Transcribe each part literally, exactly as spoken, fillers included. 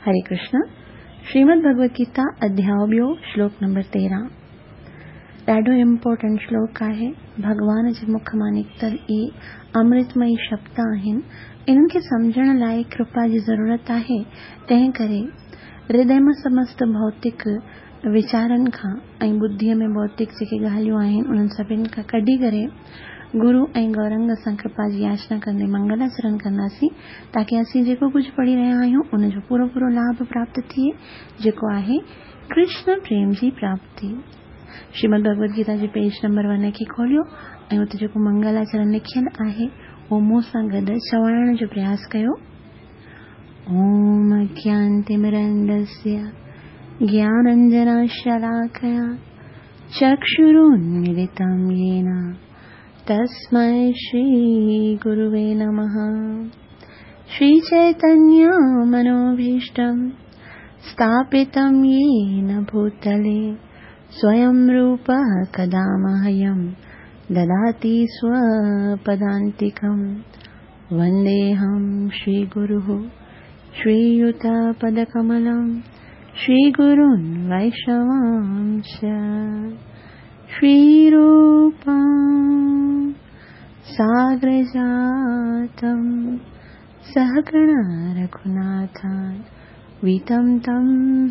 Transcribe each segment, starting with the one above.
हरे कृष्ण। श्रीमद् भगवद गीता अध्याय ॿियो श्लोक नंबर तेरहं। ॾाढो इम्पोर्टेंट श्लोक आहे। भॻवान जे मुख मां निकितल इहे अमृतमयी शब्द आहिनि। इन्हनि खे सम्झण लाइ कृपा जी ज़रूरत आहे। तंहिं करे हृदय मां समस्त भौतिक वीचारनि खां ऐं बुद्धीअ में भौतिक जेके ॻाल्हियूं आहिनि उन्हनि सभिनी खां कढी करे गुरू ऐं गौरंग सां कृपा जी याचना कंदे मंगलाचरण कंदासीं, ताकी असीं जेको कुझु पढ़ी रहिया आहियूं उनजो पूरो पूरो लाभ प्राप्त थिए, जेको आहे कृष्ण प्रेम जी प्राप्ति। श्रीमद् भगवद गीता जे पेज नंबर वन खे खोलियो ऐं उते जेको मंगलाचरण लिखियल आहे उहो मूं सां गॾु चवाइण जो प्रयास कयो। ओम अज्ञानतिमिरन्दस्य ज्ञानाञ्जनशलाकया चक्षुरुन्मीलितं येन तस्मै श्री गुरुवे नमः। श्री चैतन्य मनोभीष्टं स्थापितं येन भूतले स्वयं रूपः कदा मह्यं ददाति स्वपदान्तिकं। वन्देऽहं श्रीगुरुः श्रीयुतपदकमलं श्रीगुरून् वैष्णवांश्च। श्रीरूपं साग्रजातं सहगण रघुनाथान्वितं तं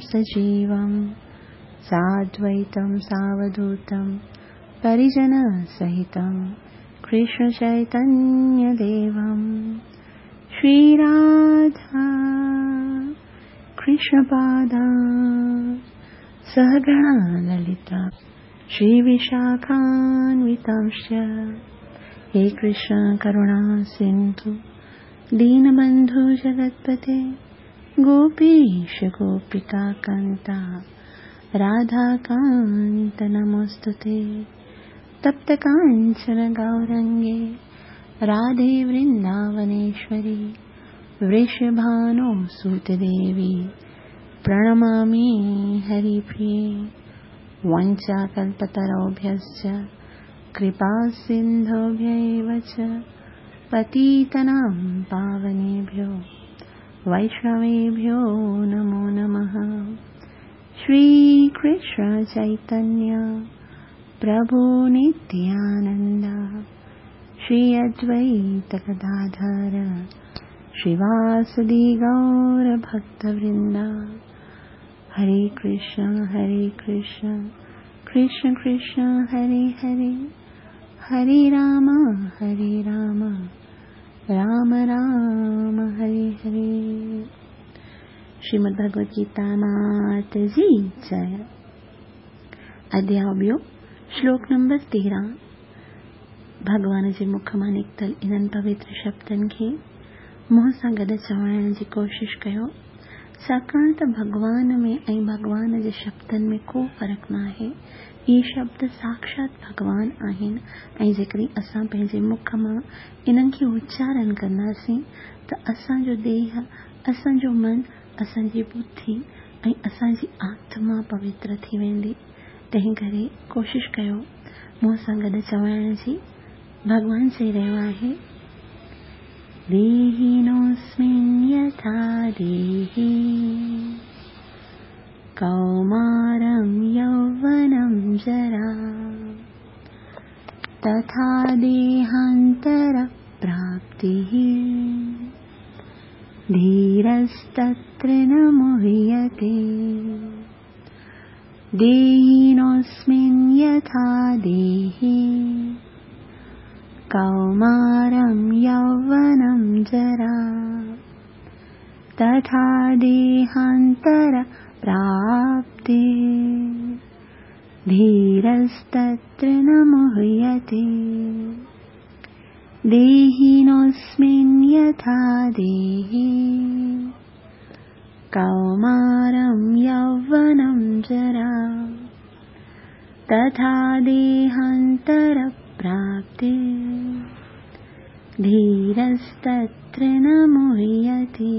सजीवं साद्वैतं सावधूतं परिजनसहितं कृष्णचैतन्यदेवं। श्रीराधा कृष्णपादा सहगण ललिता श्रीविशाखान्वितांश्च। हे कृष्ण करुणा सिन्धु दीनबन्धु जगत्पते गोपीश गोपिका कान्ता राधाकान्त नमोऽस्तुते। तप्त काञ्चन गौरङ्गे राधे वृन्दावनेश्वरी वृषभानुसुते देवी प्रणमामि हरिप्रिये। वाञ्छाकल्पतरुभ्यश्च कृपासिन्धुभ्य एव च पतितानां पावनेभ्यो वैष्णवेभ्यो नमो नमः। श्रीकृष्ण चैतन्य प्रभु नित्यानन्द श्री अद्वैत गदाधर श्रीवासदि गौरभक्तवृन्द। हरे कृष्ण हरे कृष्ण कृष्ण कृष्ण हरे हरे, हरे राम हरे राम राम राम हरे हरे। श्रीमद् भगवद गीता मात जी जय। अध्याय ॿियो श्लोक नंबर तेरहं। भॻवान जे मुख मां निकितल इन्हनि पवित्र शब्दनि खे मुंहं सां गॾु चवाइण जी कोशिश कयो, छाकाणि त भॻवान में ऐं भॻवान जे शब्दनि में को फ़र्क़ु न आहे। इहे शब्द साक्षात भॻवान आहिनि ऐं जेकॾहिं असां पंहिंजे मुख मां इन्हनि खे उच्चारण कंदासीं त असांजो देह, असांजो मन, असांजी बुद्धि ऐं असांजी आत्मा पवित्र थी वेंदी। तंहिं करे कोशिश कयो मूं सां गॾु चवाइण जी। भॻवान चई रहियो आहे, देहिनोऽस्मिन् यथा देहि कौमारं यौवनं जरा तथा देहान्तरप्राप्तिः धीरस्तत्र न मुह्यते। देहिनोऽस्मिन् यथा देहि कौमारं यौवनं जरा तथा देहान्तरप्राप्तिः धीरस्तत्र न मुह्यते। देहिनोऽस्मिन् यथा देहि कौमारं यौवनं जरा तथा देहान्तरप्राप्तिः धीरस्तत्र न मुह्यते।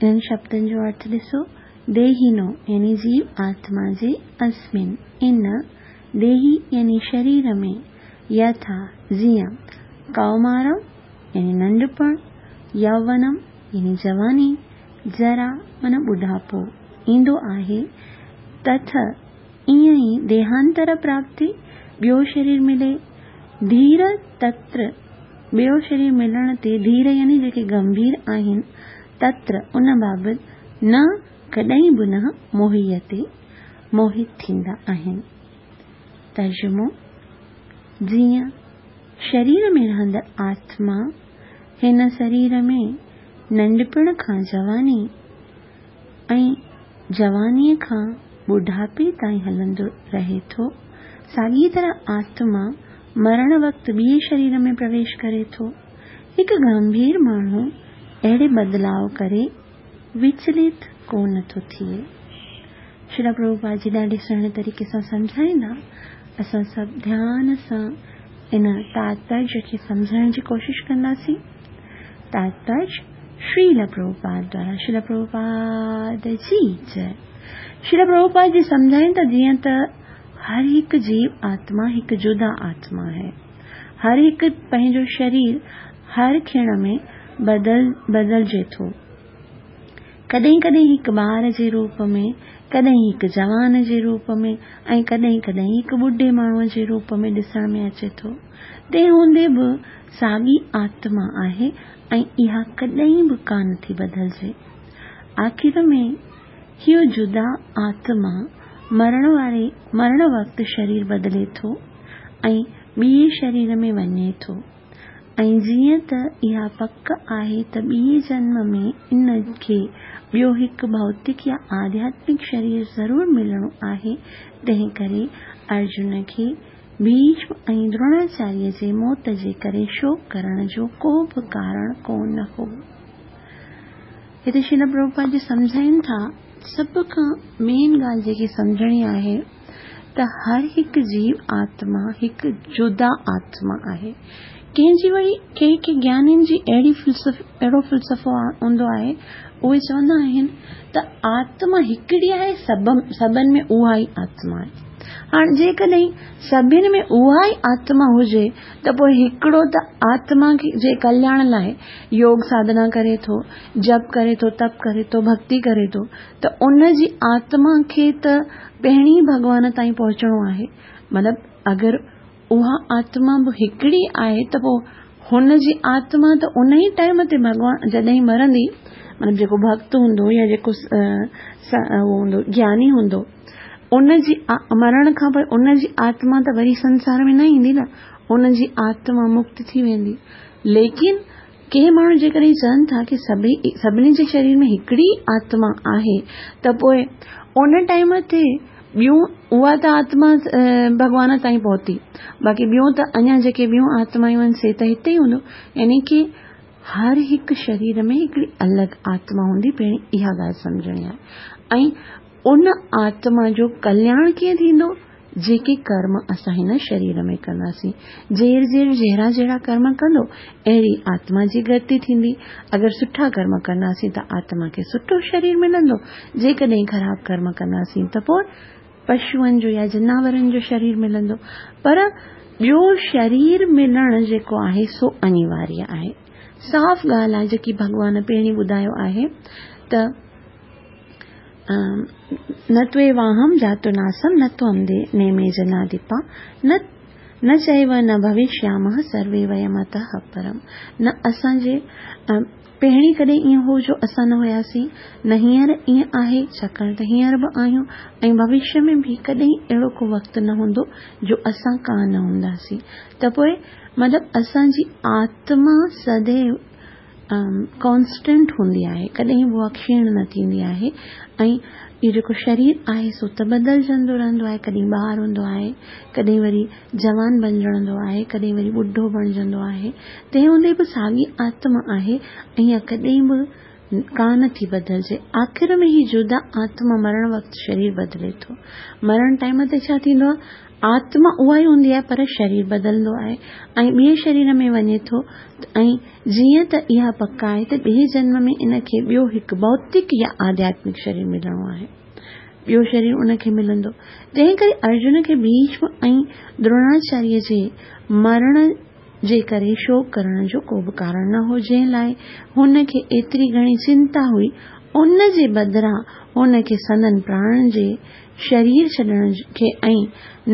इन्हनि शब्दनि जो अर्थ ॾिसो। देहिनो यानी जीव आत्मा जे, अस्मिन् इन, देही यानी शरीर में, यथा जीअं, कौमारम यानी नंढपण, यौवनम यानी जवानी, जरा माना ॿुढापो ईंदो आहे, तथ ईअं ई देहांतर प्राप्ति ॿियो शरीर मिले, धीर तत्र ॿियो शरीर मिलण ते धीर यानी जेके गंभीर आहिनि, तत्र उन बाबति न कॾहिं बि न मोहियते मोहित थींदा आहिनि। तर्जुमो: जीअं शरीर में रहंदड़ आत्मा हिन शरीर में नंढपण खां जवानी ऐं जवानीअ खां ॿुढापे ताईं हलंदो रहे थो, साॻी तरह आत्मा मरण वक़्तु ॿिए शरीर में प्रवेश करे थो। हिकु गंभीर माण्हू अहिड़े बदिलाव करे विचलित कोन थो थिए। श्रील प्रभुपाद जी ॾाढे सुहिणे तरीक़े सां सम्झाईंदा। असां सभु ध्यान सां इन तात्पर्य खे सम्झण जी कोशिशि कंदासीं। तात्पर्य श्रील प्रभुपाद द्वारा। श्रील प्रभुपाद जी जय। श्रील प्रभुपाद जी सम्झाइनि था जीअं त हर हिकु जीव आत्मा हिकु जुदा आत्मा आहे। हर हिकु पंहिंजो शरीर हर क्षण में बदल बदिलजे थो। कॾहिं कॾहिं हिकु ॿार जे रूप में, कॾहिं हिकु जवान जे रूप में ऐं कॾहिं कॾहिं हिकु ॿुढे माण्हूअ जे रूप में ॾिसण में अचे थो। तंहिं हूंदे बि साॻी आत्मा आहे ऐं इहा कॾहिं बि कान थी बदिलजे। आख़िर में इहो जुदा आत्मा मरण वारे मरण वक़्तु शरीर बदिले थो ऐं ॿिए शरीर में वञे थो ऐं जीअं त इहा पक आहे त ॿिए जन्म में इन खे ॿियो हिकु भौतिक या आध्यात्मिक शरीर ज़रूरु मिलणो आहे। तंहिं करे अर्जुन खे भीष्म ऐं द्रोणाचार्य जे मौत जे करे शोक करण जो को बि कारण कोन हो। हिते श्रील प्रभुपाद जी सम्झाइनि था, सभ खां मेन ॻाल्हि जेकी सम्झणी आहे त हर हिकु जीव आत्मा हिकु जुदा आत्मा आहे। कंहिंजी वरी कंहिं कंहिं ज्ञानियुनि जी अहिड़ी फ़िलसफ़ अहिड़ो फ़िलसफ़ो हूंदो आहे, उहे चवंदा आहिनि त आत्मा हिकिड़ी आहे, सभ सभिनि में उहा ई आत्मा आहे। हाणे जेकॾहिं सभिनि में उहा ई आत्मा हुजे त पोइ हिकिड़ो त आत्मा जे कल्याण लाइ योग साधना करे थो, जप करे थो, तप करे थो, भक्ति करे थो, त उन जी आत्मा खे त पहिरीं भॻवान ताईं पहुचणो आहे। मतिलबु अगरि उहा आत्मा बि हिकिड़ी आहे त पोइ हुन जी आत्मा त उन ई टाइम ते भॻवान जॾहिं मरंदी, मतिलबु जेको भक्त हूंदो या जेको उहो हूंदो ज्ञानी हूंदो, उन जी मरण खां पोइ उन जी आत्मा त वरी संसार में न ईंदी न, उन जी आत्मा मुक्त थी वेंदी। लेकिन कंहिं माण्हू जेकॾहिं चवनि था की सभई सभिनी जे शरीर में हिकिड़ी आत्मा आहे त पोइ उन टाइम ते ॿियूं उहा त आत्मा भॻवान ताईं पहुती, बाक़ी ॿियूं त अञा जेके ॿियूं आत्मायूं आहिनि से त हिते ई हूंदो। यानी की हर हिकु शरीर में हिकिड़ी अलॻि आत्मा हूंदी, पहिरीं इहा ॻाल्हि सम्झणी आहे। ऐं उन आत्मा जो कल्याण कीअं थींदो? जेके कर्म असां हिन शरीर में कंदासीं, जेर जेर जहिड़ा जहिड़ा कर्म कंदो अहिड़ी आत्मा जी गति थींदी। अगरि सुठा कर्म कंदासीं त आत्मा खे सुठो शरीर मिलंदो, जेकॾहिं ख़राबु कर्म कंदासीं त पोइ पशुअनि जो या जनावरनि जो शरीर मिलंदो। पर ॿियो शरीर मिलणु जेको आहे सो अनिवार्य आहे। साफ़ ॻाल्हि आहे जेकी भॻवान पहिरीं ॿुधायो आहे त न त्वेवाहं जातु नासं न त्वं नेमे जनाधिपा न न चैव न भविष्यामः सर्वे वयमतः परम्। न असांजे पहिरीं कॾहिं ईअं हो जो असां न हुयासीं, न हींअर ईअं आहे, छाकाणि त हींअर बि आहियूं ऐं भविष्य में बि कॾहिं अहिड़ो को वक़्तु न हूंदो जो असां कान हूंदासीं। त पोइ मतिलबु असांजी आत्मा सदैव कॉन्स्टेंट हूंदी आहे, कॾहिं बि उहा क्षीण न थींदी आहे। ऐं इहो जेको शरीर आहे सो त बदिलजंदो रहंदो आहे, कॾहिं ॿार हूंदो आहे, कॾहिं वरी जवान बणिजंदो आहे, कॾहिं वरी ॿुढो बणिजंदो आहे। तंहिं हूंदे बि साॻी आत्मा आहे ऐं इहा कॾहिं बि कान थी बदिलजे। आख़िर में ही जुदा आत्मा मरण वक़्तु शरीर बदिले थो। मरण टाइम ते छा थींदो आहे, आत्मा उहा ई हूंदी आहे पर शरीर बदिलंदो आहे ऐं ॿिए शरीर में वञे थो। ऐं जीअं त इहा पक आहे त ॿिए जन्म में इन खे ॿियो हिकु भौतिक या आध्यात्मिक शरीर मिलणो आहे, ॿियो शरीर उनखे मिलंदो। तंहिं करे अर्जुन खे भीष्म ऐं द्रोणाचार्य जे मरण जे करे शोक करण जो को बि कारण न हो, जंहिं लाइ हुन खे एतिरी घणी चिंता हुई, ان جي بدران هن کي سندن پراڻن جي شرير ڇڏڻ کي ۽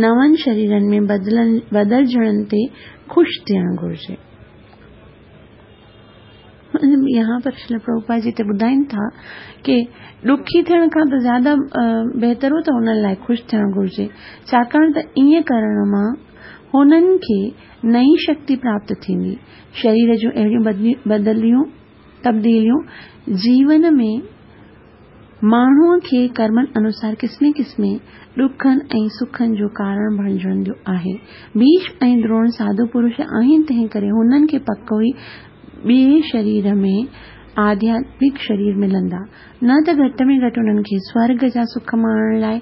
نون شريرن ۾ بدلجڻ تي خوش ٿيڻ گهرجي. यहाँ पर श्रील प्रभुपाद जी هتي ٻڌائين ٿا ڪي ڏکي ٿيڻ کان ته زياده بهتر هو ته هنن لاء خوش ٿيڻ گهرجي، ڇاڪاڻ ته ائين ڪرڻ مان هنن کي نئين شڪتي پراپت ٿيندي. شرير جون اهڙيون بدليون تبديليون جيون ۾ ماڻهوء کي ڪرمن انوسار قسمين قسمين ڏکن ۽ سکن جو ڪارڻ بڻجندو آهي. ڀيشم ۽ دروڻ ساڌو پرش آهن، تنهن ڪري هنن کي پڪ ئي ٻئي شرير ۾ آڌياتمڪ شرير ملندا، نه ته گهٽ ۾ گهٽ هنن کي سورڳ جا سک ماڻڻ لاء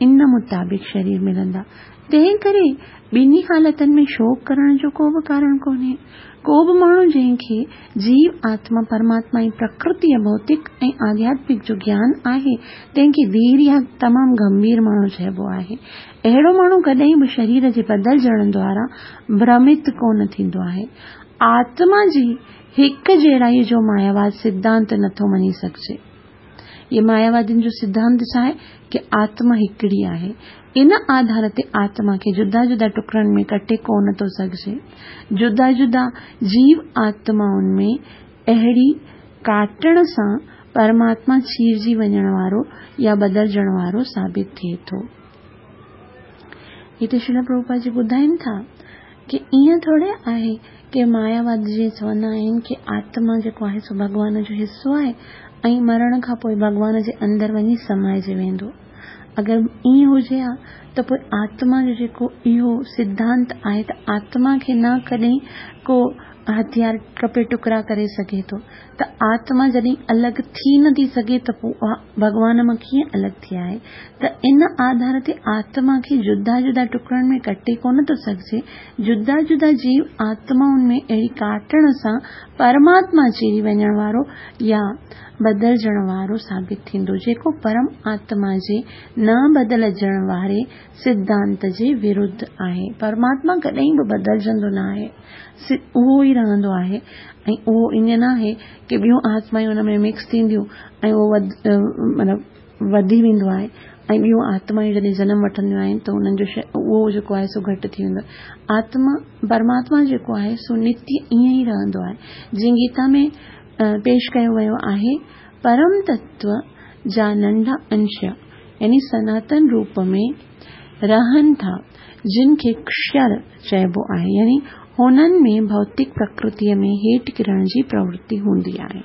ان مطابق شرير ملندا. تنهن ڪري ٻنهي حالتن ۾ شوڪ ڪرڻ جو ڪو به ڪارڻ ڪونهي. ڪو به ماڻهو جنهن کي جيو، آتما، پرماتما ۽ پرڪرتي ڀوتڪ ۽ آڌياتمڪ جو گيان آهي، تنهن کي ڌير يا تمام گنڀير ماڻهو چئبو آهي. اهڙو ماڻهو ڪڏهن به شرير جي بدلجڻ دوارا ڀرمت ڪونه ٿيندو آهي. آتما جي هڪ جهڙائي جو ماياواد سڌانت نٿو مڃي سگهجي. اهي ماياوادين جو سڌانت ڇا آهي ڪي آتما هڪڙي آهي. ان آڌار تي آتما کي جدا جدا ٽڪڙن ۾ ڪٽي ڪونه ٿو سگهجي. جدا جدا جيو آتمائن ۾ اهڙي ڪاٽڻ سان پرماتما چيرجي وڃڻ وارو يا بدلجڻ وارو ثابت ٿئي ٿو. هتي شريل پرڀوپاد جي ٻڌائين ٿا ڪي ائين ٿوري آهي ڪي ماياواد جيئن چوندا آهن ڪي آتما جيڪو آهي سو ڀڳوان جو حصو آهي ۽ مرڻ کان پوءِ ڀڳوان جي اندر وڃي سمائجي ويندو. اگر ائين هجي ها ته پوءِ آتما جو جيڪو اهو سڌانت آهي ته آتما کي نه ڪڏهن ڪو هٿيار ڪپي ٽڪڙا ڪري سگهي ٿو، ته آتما جڏهن الڳ ٿي نٿي سگهي ته پوءِ اها ڀڳوان مان ڪيئن الڳ ٿي آهي؟ ته ان آڌار تي آتما کي جدا جدا ٽڪڙن ۾ ڪٽي ڪونه ٿو سگهجي. جدا جدا جيو آتمائن ۾ اهڙي ڪاٽڻ سان پرماتما چيري وڃڻ وارو يا بدلجڻ وارو ثابت ٿيندو، جيڪو پرم آتما جي نه بدلجڻ واري سڌانت جي ورڌ آهي. پرماتما ڪڏهن به بدلجندو نه آهي، اهو ئي رهندو آهي ۽ اهو ائين نه آهي ڪي ٻيون آتمائون هن ۾ مڪس ٿينديون ۽ اهو مطلب وڌي ويندو آهي ۽ ٻيون آتمائون جڏهن جنم وٺنديون آهن ته هنن جو اهو جيڪو آهي سو گهٽ ٿي ويندو آهي. آتما پرماتما جيڪو آهي سو نتيه ائين ئي رهندو آهي. جيئن گيتا ۾ پيش ڪيو ويو آهي، پرم تتو جا ننڍا انش يعني سناتن روپ ۾ رهن ٿا، جن کي ڪشر چئبو آهي، يعني هنن ۾ ڀوتڪ پرڪرتيءَ ۾ هيٺ ڪرڻ جي پرورتي هوندي آهي.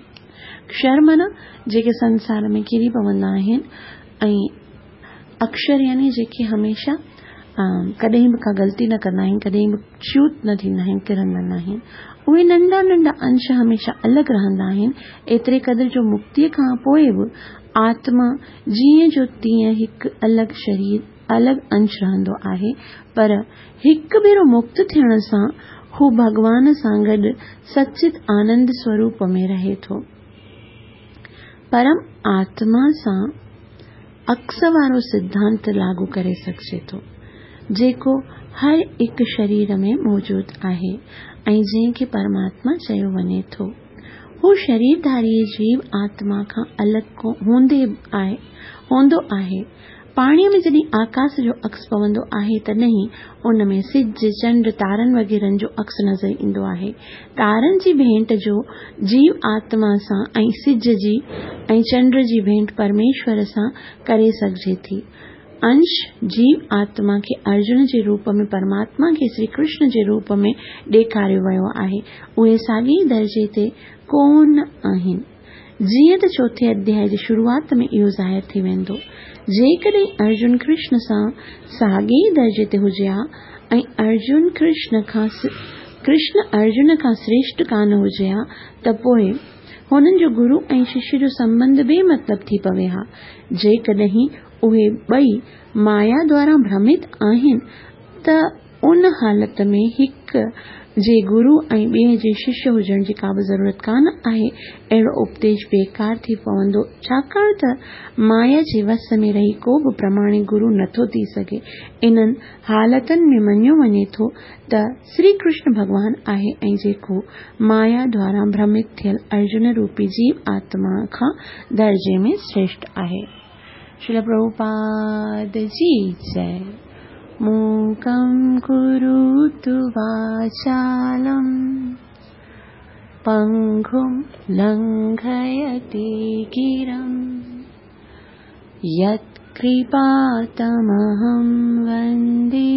ڪشر معنيٰ جيڪي سنسار ۾ ڪري پوندا آهن ۽ اڪشر يعني جيڪي هميشه ڪڏهن به ڪا غلطي نه ڪندا آهن، ڪڏهن به چيوت نه ٿيندا آهن، ڪرندا نه آهن. اهي ننڍا ننڍا انش هميشه الڳ رهندا آهن، ايتري قدر جو مڪتيءَ کان پوءِ به آتما جيئن جو تيئن هڪ الڳ شرير الڳ انش رهندو آهي، پر هڪ ڀيرو مڪت ٿيڻ سان هو ڀڳوان سان گڏ سچت آنند سوروپ ۾ رهي ٿو. پرم آتما سان عڪس وارو سڌانت لاڳو ڪري سگهجي ٿو، جيڪو هر هڪ شرير ۾ موجود آهي ۽ جنهن کي پرماتما چيو وڃي ٿو. هو شريرڌاري جيو آتما کان الڳ هوندي آهي هوندو آهي. پاڻيءَ ۾ جڏهن آڪاش جو عڪس پوندو آهي تڏهن ان ۾ سج، چنڊ، تارن وغيرن جو عڪس نظر ايندو آهي. تارن جي ڀينٽ جو جيو آتما سان ۽ سج جي ۽ چنڊ جي ڀينٽ پرميشور سان ڪري سگهجي ٿي. انش جيو آتما کي ارجن جي روپ ۾ پرماتما کي شري ڪرشن جي روپ ۾ ڏيکاريو ويو آهي. اهي ساڳئي درجي تي ڪونه آهن. جيئن ته چوٿين اڌياءِ جي شروعات ۾ اهو ظاهر ٿي ويندو. جيڪڏهن ارجن ڪرشن سان ساڳئي درجي تي هجي ها ۽ ارجن ڪرشن کان ڪرشن ارجن کان شريشٺ ڪانه هجي ها ته پوءِ هنن جو گرو ۽ ششيه جو سنٻنڌ بي مطلب ٿي پوي ها. جيڪڏهن اهي ٻئي مايا دوارا ڀرمت آهن ته ان حالت ۾ هڪ جي گرو ۽ ٻئي جي ششيه هجڻ جي ڪا به ضرورت ڪانه آهي. اهڙو اپديش بيڪار ٿي پوندو، ڇاڪاڻ ته مايا جي وس ۾ رهي ڪو به پرماڻڪ گرو نٿو ٿي سگهي. انهن حالتن ۾ مڃيو وڃي ٿو ته شري ڪرشن ڀڳوان آهي ۽ جيڪو مايا دوارا ڀرمت ٿيل ارجن روپي جيو آتما کان درجي ۾ شريشٺ آهي. شريل پرڀوپاد جي جئي. मूकं करोतु वाचालं पङ्गुं लङ्घयते गिरिं यत्कृपातमहं वन्दे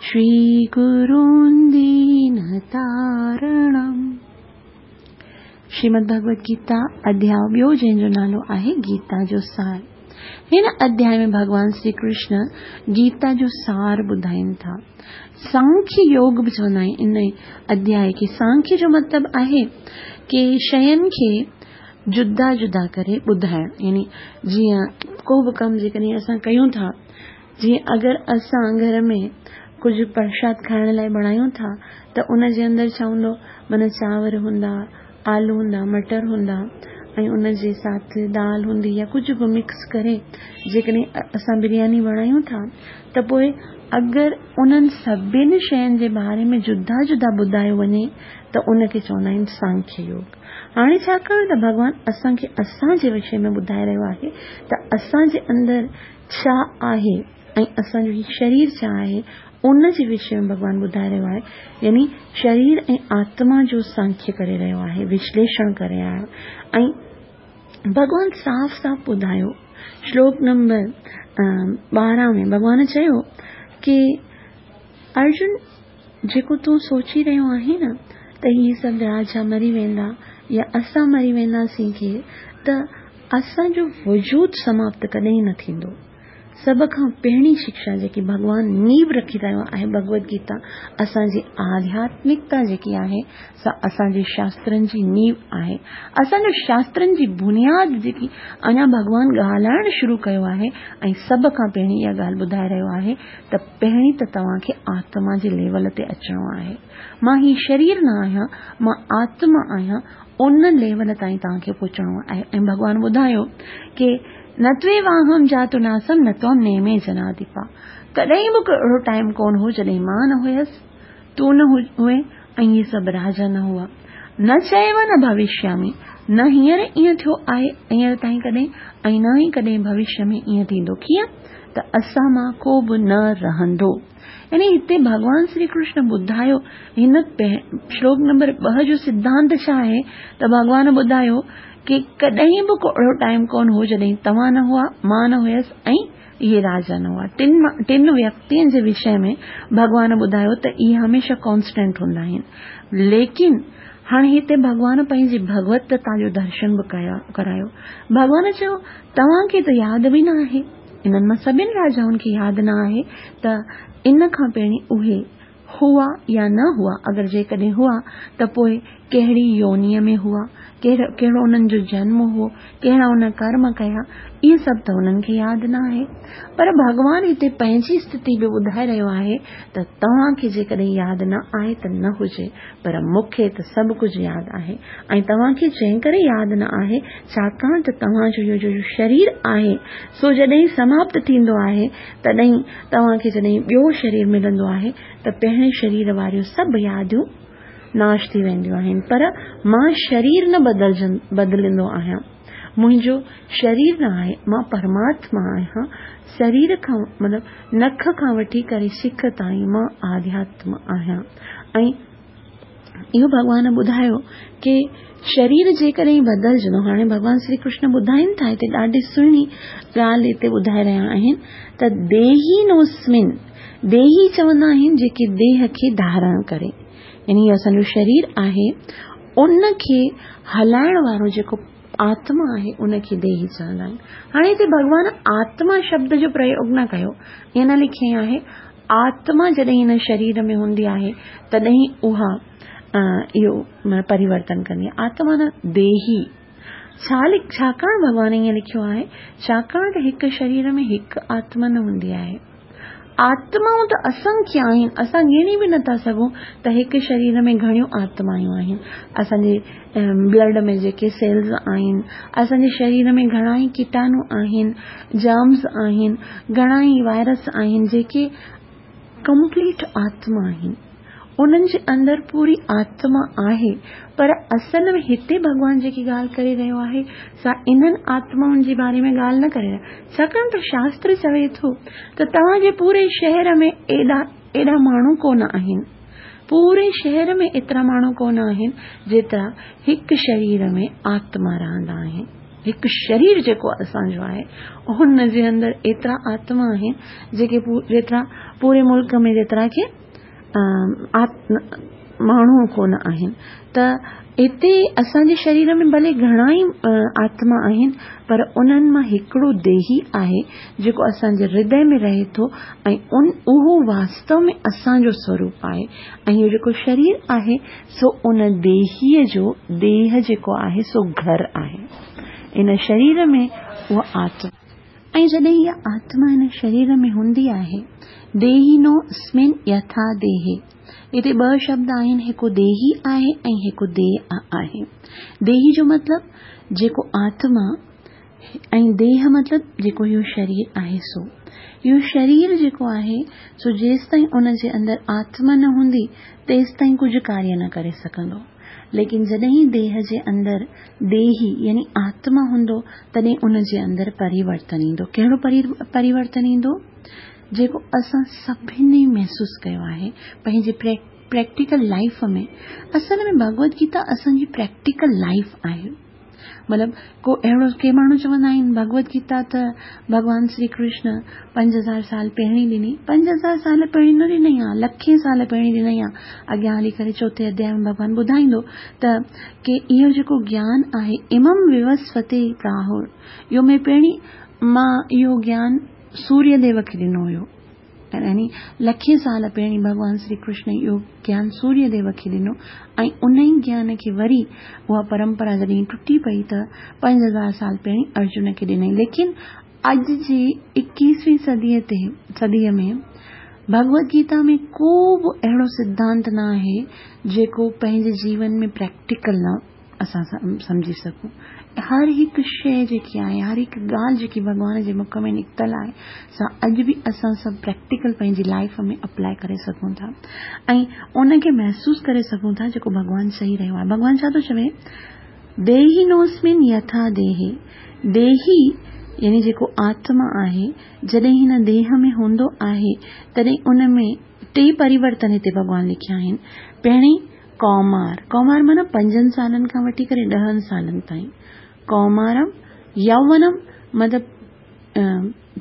श्रीगुरुं दीनतारणम्। श्रीमद् भगवद गीता अध्याय ॿियो जंहिंजो नालो आहे गीता जो सार। हिन अध्याय में भॻवान श्री कृष्ण गीता जो सार ॿुधाइनि था। सांख्य योग बि चवंदा आहिनि इन अध्याय खे। सांख्य जो मतिलबु आहे की शयुनि खे जुदा जुदा करे ॿुधाइण, यानी जीअं को बि कमु जेकॾहिं असां कयूं था, जीअं अगरि असां घर में कुझु प्रसाद खाइण लाइ बणायूं था त उन जे अंदरि छा हूंदो, माना चांवर हूंदा, आलू हूंदा, मटर हूंदा ऐं उन जे साथ दाल हूंदी या कुझु बि मिक्स करे जेकॾहिं असां बिरयानी बणायूं था त पोइ अगरि उन्हनि सभिनी शयुनि जे बारे में जुदा जुदा ॿुधायो वञे त उनखे चवंदा आहिनि सांख्य योग। हाणे छाकाणि त भॻवान असांखे असांजे विषय में ॿुधाए रहियो आहे त असांजे अंदरि छा आहे ऐं असांजो हीउ शरीर छा आहे, उन जे विषय में भॻवान ॿुधाए रहियो आहे। यानी शरीर ऐं आत्मा जो सांख्य करे रहियो आहे, विश्लेषण करे रहियो आहे। ऐं भॻवान साफ़ साफ़ ॿुधायो श्लोक नंबर ॿारहं में भॻवान चयो की अर्जुन, जेको तूं सोची रहियो आहीं न त इहे सभु राजा मरी वेंदा या असां मरी वेंदासीं खे, त असांजो वजूद समाप्त कॾहिं न थींदो। सभ खां पहिरीं शिक्षा जेकी भॻवान नींव रखी रहियो आहे भगवद गीता, असांजी आध्यात्मिकता जेकी आहे सा असांजे शास्त्रनि जी नींव आहे। असांजो शास्त्रनि जी बुनियाद जेकी अञा भॻवान ॻाल्हाइणु शुरू कयो आहे ऐं सभ खां पहिरीं इहा ॻाल्हि ॿुधाए रहियो आहे त पहिरीं त तव्हांखे आत्मा जे लेवल ते अचिणो आहे। मां हीउ शरीर न आहियां, मां आत्मा आहियां, उन लेवल ताईं तव्हांखे पहुचणो आहे। ऐं भॻवान ॿुधायो की न त्वेवाहं जातु नासम न त्वं नेमे जनाधिपा। कॾहिं बि अहिड़ो टाइम कोन हो जॾहिं मां न हुयसि, तूं न हुए ऐं इहे सभु राजा न हुआ। न चैव न भविष्यामि, न हींअर ईअं थियो आहे हींअर ताईं कॾहिं ऐं न ई कॾहिं भविष्य में ईअं थींदो। कीअं त असां मां को बि न रहंदो। यानी हिते भॻवान श्री कृष्ण ॿुधायो हिन श्लोक नंबर ॿ जो सिद्धांत छा आहे त भॻवान ॿुधायो की कॾहिं बि को अहिड़ो टाइम कोन हो जॾहिं तव्हां न हुआ, मां न हुयसि ऐं इहे राजा न हुआ। टिनि टिनि व्यक्तियुनि जे विषय में भॻवान ॿुधायो त इहे हमेशह कॉन्स्टेंट हूंदा आहिनि। लेकिन हाणे हिते भॻवान पंहिंजी भगवतता जो दर्शन बि करायो। भॻवान चयो तव्हांखे त यादि बि न आहे, इन्हनि मां सभिनी राजाउनि खे यादि न आहे त इन खां पहिरीं उहे हुआ या न हुआ। अगरि जेकॾहिं हुआ त पोइ कहिड़ी योनीअ में हुआ, कहिड़ो उन्हनि जो जन्म हो, कहिड़ा उन कर्म कया, इहे सभु त उन्हनि खे यादि न आहे। पर भॻवान हिते पंहिंजी स्थिति बि ॿुधाए रहियो आहे त तव्हांखे जेकॾहिं यादि न आहे त न हुजे, पर मूंखे त सभु कुझु यादि आहे। ऐं तव्हांखे जंहिं करे यादि न आहे, छाकाणि त तव्हांजो इहो जो शरीर आहे सो जॾहिं समाप्त थींदो आहे तॾहिं तव्हांखे जॾहिं ॿियो शरीर मिलंदो आहे त पहिरें शरीर वारियूं सभु यादियूं नाश थी वेंदियूं आहिनि। पर मां शरीर न बदिलजन बदिलिंदो आहियां, मुंहिंजो शरीर न आहे, मां परमात्मा आहियां। शरीर खां मतिलबु नख खां वठी करे सिख ताईं मां आध्यात्म आहियां। ऐं इहो भॻवान ॿुधायो की शरीर जेकॾहिं बदिलजंदो, हाणे भॻवान श्री कृष्ण ॿुधाइनि था, हिते ॾाढी सुहिणी ॻाल्हि हिते ॿुधाए रहिया आहिनि त देही नोस्मिन, देही चवंदा आहिनि जेके देह खे धारण करे, यानी असांजो शरीर आहे उनखे हलाइण वारो जेको आत्मा आहे उनखे देही चवंदा आहिनि। हाणे हिते भॻवान आत्मा शब्द जो प्रयोग न कयो, ईअं न लिखियो आहे आत्मा जॾहिं हिन शरीर में हूंदी आहे तॾहिं उहा इहो परिवर्तन कंदी आहे। आत्मा न देही। छा छाकाणि भॻवान ईअं लिखियो आहे, छाकाणि त हिकु शरीर में हिकु आत्मा न हूंदी आहे। آتمائون ته اسنکيه آهن، اسان ڳڻي به نٿا سگهون ته هڪ شرير ۾ گهڻيون آتمائون آهن. اسان جي بلڊ ۾ جيڪي سيلز آهن، اسان جي شرير ۾ گهڻا ئي ڪيٽاڻو آهن، جرمز آهن، گهڻا ئي وائرس آهن جيڪي ڪمپليٽ آتما آهن. انهن جي اندر پوري آتما آهي، پر اصل ۾ هتي ڀڳوان جيڪي ڳالهه ڪري رهيو آهي سا انهن آتمائن جي باري ۾ ڳالهه نه ڪري رهيو، ڇاڪاڻ ته شاستر چوي ٿو ته توهان جي پوري شهر ۾ ايڏا ايڏا ماڻهو ڪونه آهن، پوري شهر ۾ ايترا ماڻهو ڪونه آهن جيترا هڪ شرير ۾ آتما رهندا آهن. هڪ شرير جيڪو اسان جو آهي ان جي اندر ايترا آتما آهن جيڪي جيترا پوري ملڪ ۾ جيترا ڪي ماڻهو ڪونه آهن. ته هتي اسان جي شرير ۾ ڀلي گهڻا ئي آتما آهن، پر انهن مان هڪڙو ديهي آهي جيڪو اسان جي هردي ۾ رهي ٿو ۽ ان اهو واستو ۾ اسان جو سوروپ آهي. ۽ اهو جيڪو شرير آهي سو ان ديهيء جو ديهه جيڪو آهي سو گهر آهي. ان شرير ۾ اها آتما، ۽ جڏهن اها آتما هن شرير ۾ هوندي آهي، ديهينو اسمن يٿا ديهي، هتي ٻه شبد آهن، هڪ ديهي آهي ۽ هڪ ديهه آهي. ديهي جو مطلب جيڪو آتما ۽ ديهه مطلب جيڪو اهو شرير آهي سو. اهو شرير جيڪو آهي سو جيستائين ان جي اندر آتما نه هوندي تيستائين ڪجهه ڪاريه نه ڪري سگهندو. ليڪن جڏهن ديهه جي اندر ديهي يعني آتما هوندو تڏهن ان جي اندر پريورتن ايندو. ڪهڙو پريورتن ايندو؟ جيڪو اسان سڀني محسوس ڪيو آهي پنهنجي پريڪٽيڪل لائيف ۾. اصل ۾ ڀڳوت گيتا اسان جي پريڪٽيڪل لائيف آهي. مطلب ڪو اهڙو ڪي ماڻهو چوندا آهن ڀڳوت گيتا ته ڀڳوان شري ڪرشن پنج هزار سال پهرين ڏني. پنج هزار سال پهرين نه ڏنئي آ، لکين سال پهرين ڏنئي آ. اڳيان هلي ڪري چوٿين اڌياء ۾ ڀڳوان ٻڌائيندو ته ڪي اهو جيڪو گيان آهي امم ووسوتي پراهر، اهو ۾ پهرين مان اهو گيان سوريه ديو کي ڏنو هيو. يعني لکين سال پهرين ڀڳوان شري ڪرشن اهو گيان سوريه ديو کي ڏنو ۽ ان ئي گيان کي وري اها پرمپرا جڏهن ٽٽي پئي ته پنج هزار سال پهرين ارجن کي ڏنئي. ليڪن اڄ جي ايڪويهين صديءَ تي صديءَ ۾ ڀڳوت گيتا ۾ ڪو به اهڙو سڌانت نه آهي جيڪو پنهنجي جيون ۾ پريڪٽيڪل نه اسان سمجهي سگهون. هر هڪ شيءِ جيڪي آهي، هر هڪ ڳالهه جيڪي ڀڳوان جي مک ۾ نڪتل آهي سا اڄ به اسان سڀ پريڪٽيڪل پنهنجي لائيف ۾ اپلائي ڪري سگهون ٿا ۽ ان کي محسوس ڪري سگهون ٿا جيڪو ڀڳوان چئي رهيو آهي. ڀڳوان ڇا ٿو چوي؟ ديهي نوسمن يٿا ديهي. ديهي يعني جيڪو آتما آهي جڏهن هن ديهه ۾ هوندو آهي تڏهن ان ۾ ٽي پريورتن هتي ڀڳوان لکيا آهن. پهرين ڪومار، ڪومار معنيٰ پنجن سالن کان وٺي ڪري ڏهن سالن تائين. ڪومارم، يوونم مطلب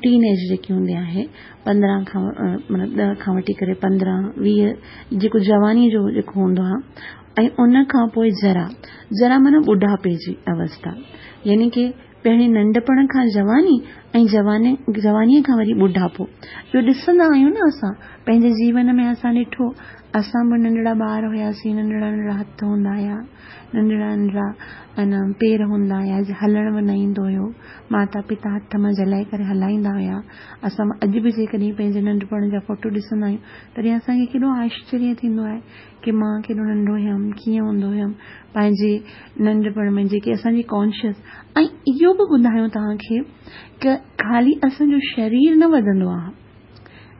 ٽين ايج جيڪي هوندي آهي پندرهن کان مطلب ڏهه کان وٺي ڪري پندرهن ويهه جيڪو جوانيءَ جو جيڪو هوندو آهي. ۽ ان کان پوءِ جرا، جرا معنيٰ ٻڍاپي جي اوسٿا، يعني ڪه پهرين ننڍپڻ کان جواني ۽ جواني جوانيءَ کان وري ٻڍاپو. اهو ڏسندا آهيون نه اسان پنهنجي جيون ۾. اسان ڏٺو اسان به ننڍڙا ٻار هئاسين، ننڍڙا ننڍڙا هٿ هوندا هئا، ننڍڙا ننڍڙا انا پير هوندا هئا، هلڻ به نه ايندو هيو. ماتا پتا هٿ مان جهلائي ڪري هلائيندا هئا. اسان اڄ به جيڪڏهن پنهنجي ننڍپڻ جا فوٽو ڏسندا آهيون تڏهن اسان کي ڪيڏو آشچريه ٿيندو آهي ڪه مان ڪيڏو ننڍو هيم، ڪيئن هوندو هيم پنهنجي ننڍپڻ ۾، جيڪي اسان جي ڪانشس. ۽ اهو به ٻڌايون توهان کي ڪه خالي اسان جو شرير نه وڌندو آهي،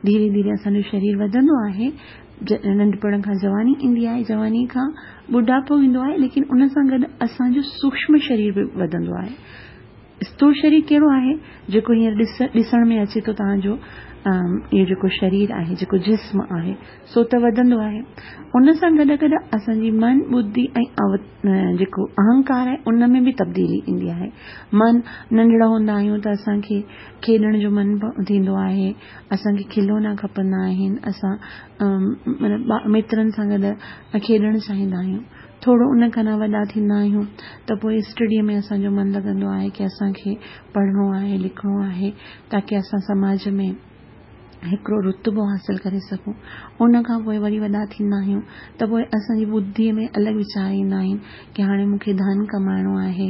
ڌيري ڌيري اسان جو شرير وڌندو آهي. ننڍپڻ کان جواني ايندي آهي، جواني کان ٻڍاپو ايندو آهي، ليڪن ان سان گڏ اسان جو سوڪشم شرير به وڌندو آهي. اسٿول شرير ڪهڙو آهي؟ جيڪو هينئر ڏس ڏسڻ ۾ اچي ٿو توهان جو اهو جيڪو شرير آهي، جيڪو جسم آهي، سو ته وڌندو آهي. ان سان گڏ گڏ اسان جي من، ٻڌي ۽ جيڪو اهنڪار آهي ان ۾ به تبديلي ايندي آهي. من، ننڍڙا هوندا آهيون ته اسان کي کيڏڻ جو من ٿيندو آهي، اسان کي کلونا کپندا آهن، اسان مطلب مترن سان گڏ کيڏڻ چاهيندا آهيون. ٿورو ان کان وڏا ٿيندا آهيون ته پوءِ اسٽڊيءَ ۾ اسان جو من لڳندو آهي ڪه اسان کي پڙهڻو آهي، لکڻو آهي، تاڪه اسان سماج ۾ हिकिड़ो रुतबो हासिल करे सघूं। उन खां पोइ वरी वॾा थींदा आहियूं त पोइ असांजी बुद्धिअ में अलॻि वीचार ईंदा आहिनि की हाणे मूंखे धन कमाइणो आहे,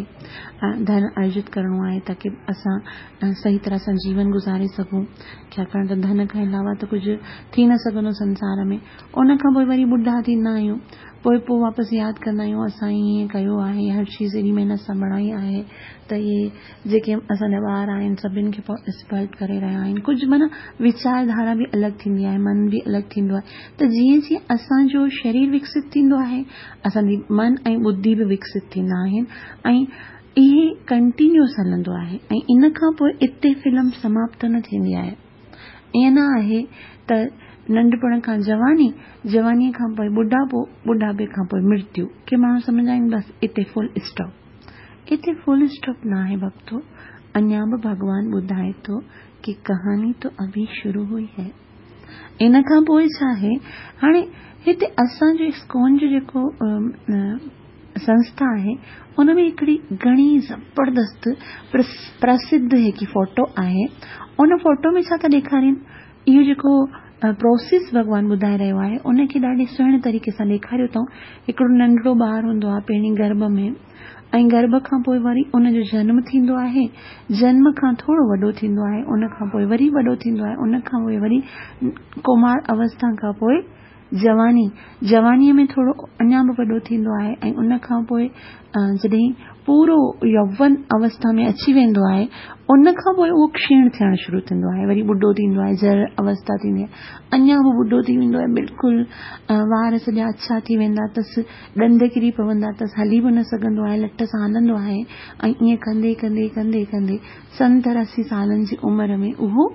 धन अर्जित करिणो आहे ताकी असां सही तरह सां जीवन गुज़ारे सघूं, छाकाणि त धन खां अलावा त कुझु थी न सघंदो संसार में। उन खां पोइ वरी ॿुढा थींदा आहियूं, पोइ पोइ वापसि यादि कंदा आहियूं असां ईअं कयो आहे, हर चीज़ एॾी महिनत सां बणाई आहे त इहे जेके असांजा ॿार आहिनि सभिनी खे एक्सपर्ट करे रहिया आहिनि। कुझु माना वीचारधारा बि अलॻि थींदी आहे, मन बि अलॻि थींदो आहे। त जीअं जीअं असांजो शरीर विकसित थींदो आहे, असांजी मन ऐं बुद्धि बि विकसित थींदा आहिनि ऐं इहे कंटिन्यूअस हलंदो आहे। ऐं इन खां पोइ हिते फिल्म समाप्त न थींदी आहे। ईअं न आहे त नंढपण खां जवानी, जवानीअ खां पोइ ॿुढापो, ॿुढापे खां पोइ मृत्यु। के माण्हू सम्झंदा आहिनि बसि हिते फुल स्टॉप। हिते फुल स्टॉप न आहे भक्तो, अञा बि भॻवान ॿुधाए थो की कहानी तो अभी शुरू हुई है। इन खां पोइ छा आहे, हाणे हिते असांजो इस्कॉन जो जेको संस्था आहे उन में हिकिड़ी घणी ज़बरदस्त प्रसिद्ध हिकु फोटो आहे। उन फोटो में छा था ॾेखारीनि, इहो जेको प्रोसेस भॻवान ॿुधाए रहियो आहे उनखे ॾाढे सुहिणे तरीक़े सां ॾेखारियो अथऊं। हिकिड़ो नंढड़ो ॿार हूंदो आहे पहिरीं गर्भ में, ऐं गर्भ खां पोइ वरी उनजो जन्म थींदो आहे, जन्म खां थोरो वॾो थींदो आहे, उन खां पोइ वरी वॾो थींदो आहे, उन खां पोइ वरी कुमार अवस्था खां पोइ जवानी, जवानीअ में थोरो अञा बि वॾो थींदो आहे ऐं उन खां पोइ जॾहिं पूरो यौवन अवस्था में अची वेंदो आहे उन खां पोइ उहो क्षीण थियणु शुरू थींदो आहे, वरी ॿुढो थींदो आहे, जर अवस्था थींदी आहे, अञा बि ॿुढो थी वेंदो आहे, बिल्कुलु वार सॼा अछा थी वेंदा अथसि, ॾंद किरी पवंदा अथसि, हली बि न सघंदो आहे, लठ सां हलंदो आहे ऐं ईअं कंदे कंदे कंदे कंदे सतरि असी सालनि जी उमिरि में उहो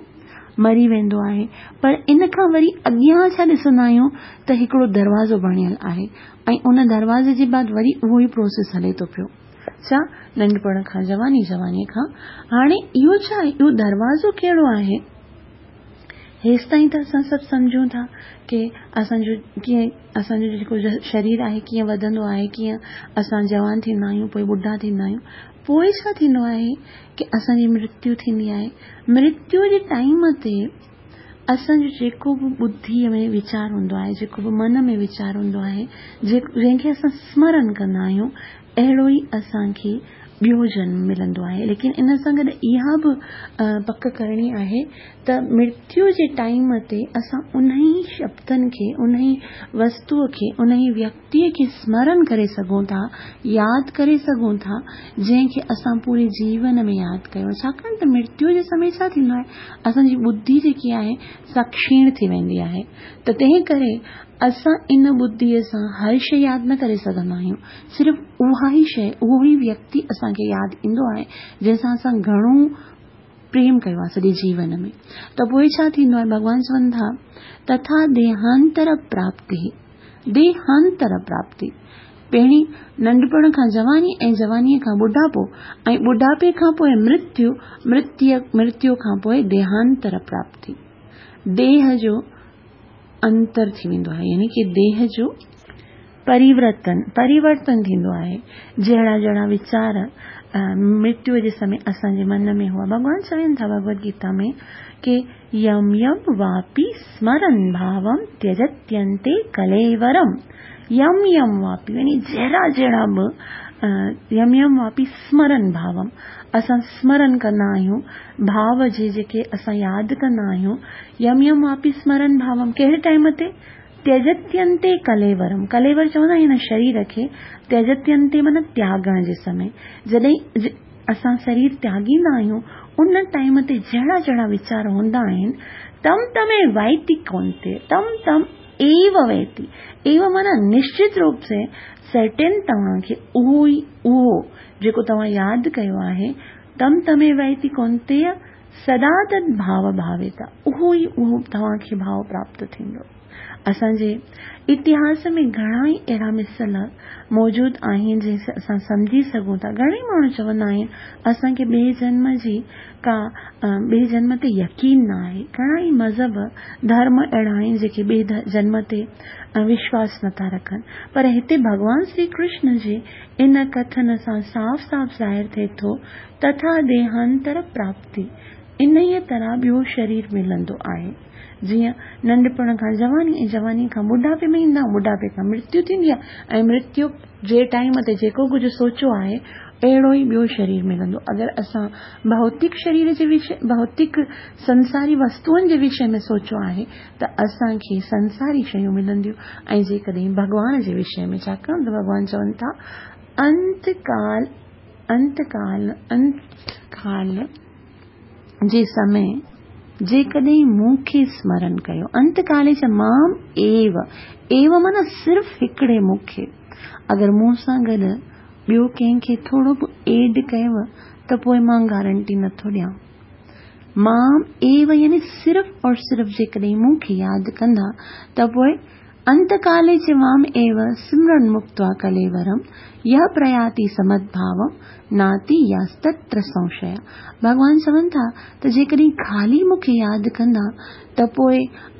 मरी वेंदो आहे। पर इन खां वरी अॻियां छा ॾिसंदा आहियूं त हिकिड़ो दरवाज़ो बणियल आहे ऐं उन दरवाज़े जे बाद वरी उहो ई प्रोसेस हले थो पियो। छा नंढपण खां जवानी, जवानीअ खां हाणे इहो छा आहे, इहो दरवाज़ो कहिड़ो आहे? हेसि ताईं त असां सभु सम्झूं था की असांजो कीअं असांजो जेको शरीर आहे कीअं वधंदो आहे, कीअं असां जवान थींदा आहियूं, पोइ ॿुढा थींदा आहियूं, पोइ छा थींदो आहे की असांजी मृत्यु थींदी आहे। मृत्यु जे टाइम ते असांजो जेको बि बुद्धिअ में वीचार हूंदो आहे, जेको बि मन में वीचार हूंदो आहे, जंहिंखे असां स्मरण कंदा आहियूं, अहिड़ो ई असांखे ॿियो जन्म मिलंदो आहे। लेकिन इन सां गॾु इहा बि पक करणी आहे त मृत्यु जे टाइम ते असां उन ई शब्दनि खे, उन ई वस्तूअ खे, उन ई व्यक्तिअ खे स्मरण करे सघूं था, यादि करे सघूं था जंहिंखे असां पूरे जीवन में यादि कयो। छाकाणि त मृत्यु जे समय छा थींदो आहे, असांजी बुद्धि जेकी आहे सा क्षीण थी वेंदी आहे, त तंहिं करे असां इन बुद्धिअ सां हर शइ यादि न करे सघंदा आहियूं। सिर्फ़ु उहा ई शइ, उहो ई व्यक्ति असांखे यादि ईंदो आहे जंहिंसां असां घणो प्रेम कयो आहे सॼे जीवन में। त पोइ छा थींदो आहे, भॻवान चवनि था तथा देहांतर प्राप्ति, देहांतर प्राप्ति। पहिरीं नंढपण खां जवानी ऐं जवानीअ खां ॿुढापो ऐं ॿुढापे खां पोइ मृत्यु, मृत्यु मृत्यु खां पोइ देहांतर प्राप्ति। देह जो अंतर थी वेंदो आहे, यानी की देह जो परिवर्तन परिवर्तन थींदो आहे। जहिड़ा जहिड़ा वीचार मृत्युअ जे समय असांजे मन में हुआ। भॻवान चवनि था भगवद गीता में की यम यम वापि स्मरन् भावं त्यजत्यन्ते कलेवरम। यम यम वापि यानी जहिड़ा जहिड़ा बि यम यम वापि स्मरन् भावं, असां स्मरण कंदा आहियूं भाव जे जेके असां यादि कंदा आहियूं। यम यम वापि स्मरन् भावं कहिड़े टाइम ते? त्यजत्यन्ते कलेवरम। कलेवर चवंदा आहिनि शरीर खे, त्यजत्यन्ते माना त्यागण जे समय। जॾहिं असां शरीर त्यागींदा आहियूं उन टाइम ते जहिड़ा जहिड़ा वीचार हूंदा आहिनि, तम तमे वैति कौन्ते, तम तम एव वैति, एव माना निश्चित रूप से सर्टेन तव्हांखे उहो ई उहो जेको तव्हां यादि कयो आहे, तम तमे वैति कौन्तेय सदा तद भाव भाविता, उहो ई उहो तव्हांखे भाव प्राप्त थींदो। असांजे इतिहास में घणा ई अहिड़ा मिसल मौजूदु आहिनि जंहिंसां असां सम्झी सघूं था। घणेई माण्हू चवंदा आहिनि असांखे ॿिए जन्म जी का ॿिए जन्म ते यकीन न आहे। घणा ई मज़हब धर्म अहिड़ा आहिनि जेके ॿिए जन्म ते विश्वास नथा रखनि, पर हिते भॻवान श्री कृष्ण जे इन कथन सां साफ़ साफ़ ज़ाहिर थिए थो तथा देहांतर प्राप्ति, انهيء طرح ٻيو شرير ملندو آهي. جيئن ننڍپڻ کان جواني ۽ جواني کان ٻڍاپي ۾ ايندا آهيون، ٻڍاپي کان مرتيو ٿيندي آهي ۽ مرتيو جي ٽائيم تي جيڪو ڪجهه سوچيو آهي اهڙو ئي ٻيو شرير ملندو. اگر اسان ڀوتڪ شرير جي وشي، ڀوتڪ سنساري وستوئن جي وشي ۾ سوچيو آهي ته اسان کي سنساري شيون ملنديون ۽ جيڪڏهن ڀڳوان جي وشي ۾، ڇاڪاڻ ته ڀڳوان چون ٿا انتڪال انتڪال انتڪال جي سمي جيڪڏهن مون کي سمرن ڪيو، انتڪالي چ مام ايو، ايو معنيٰ صرف هڪڙي مون کي، اگر مون سان گڏ ٻيو ڪنهن کي ٿورو به ايڊ ڪيو ته پوء مان گارنٽي نٿو ڏيان. مام ايو يعني صرف اور صرف جيڪڏهن مون کي ياد ڪندا ته پوء انتڪالي چ مام ايو سمرن مڪتوا ڪليورم يه پرياتي سمدڀاوم ناتي ياستتر سنشيا. ڀڳوان چون ٿا ته جيڪڏهن خالي مون کي ياد ڪندا ته پوء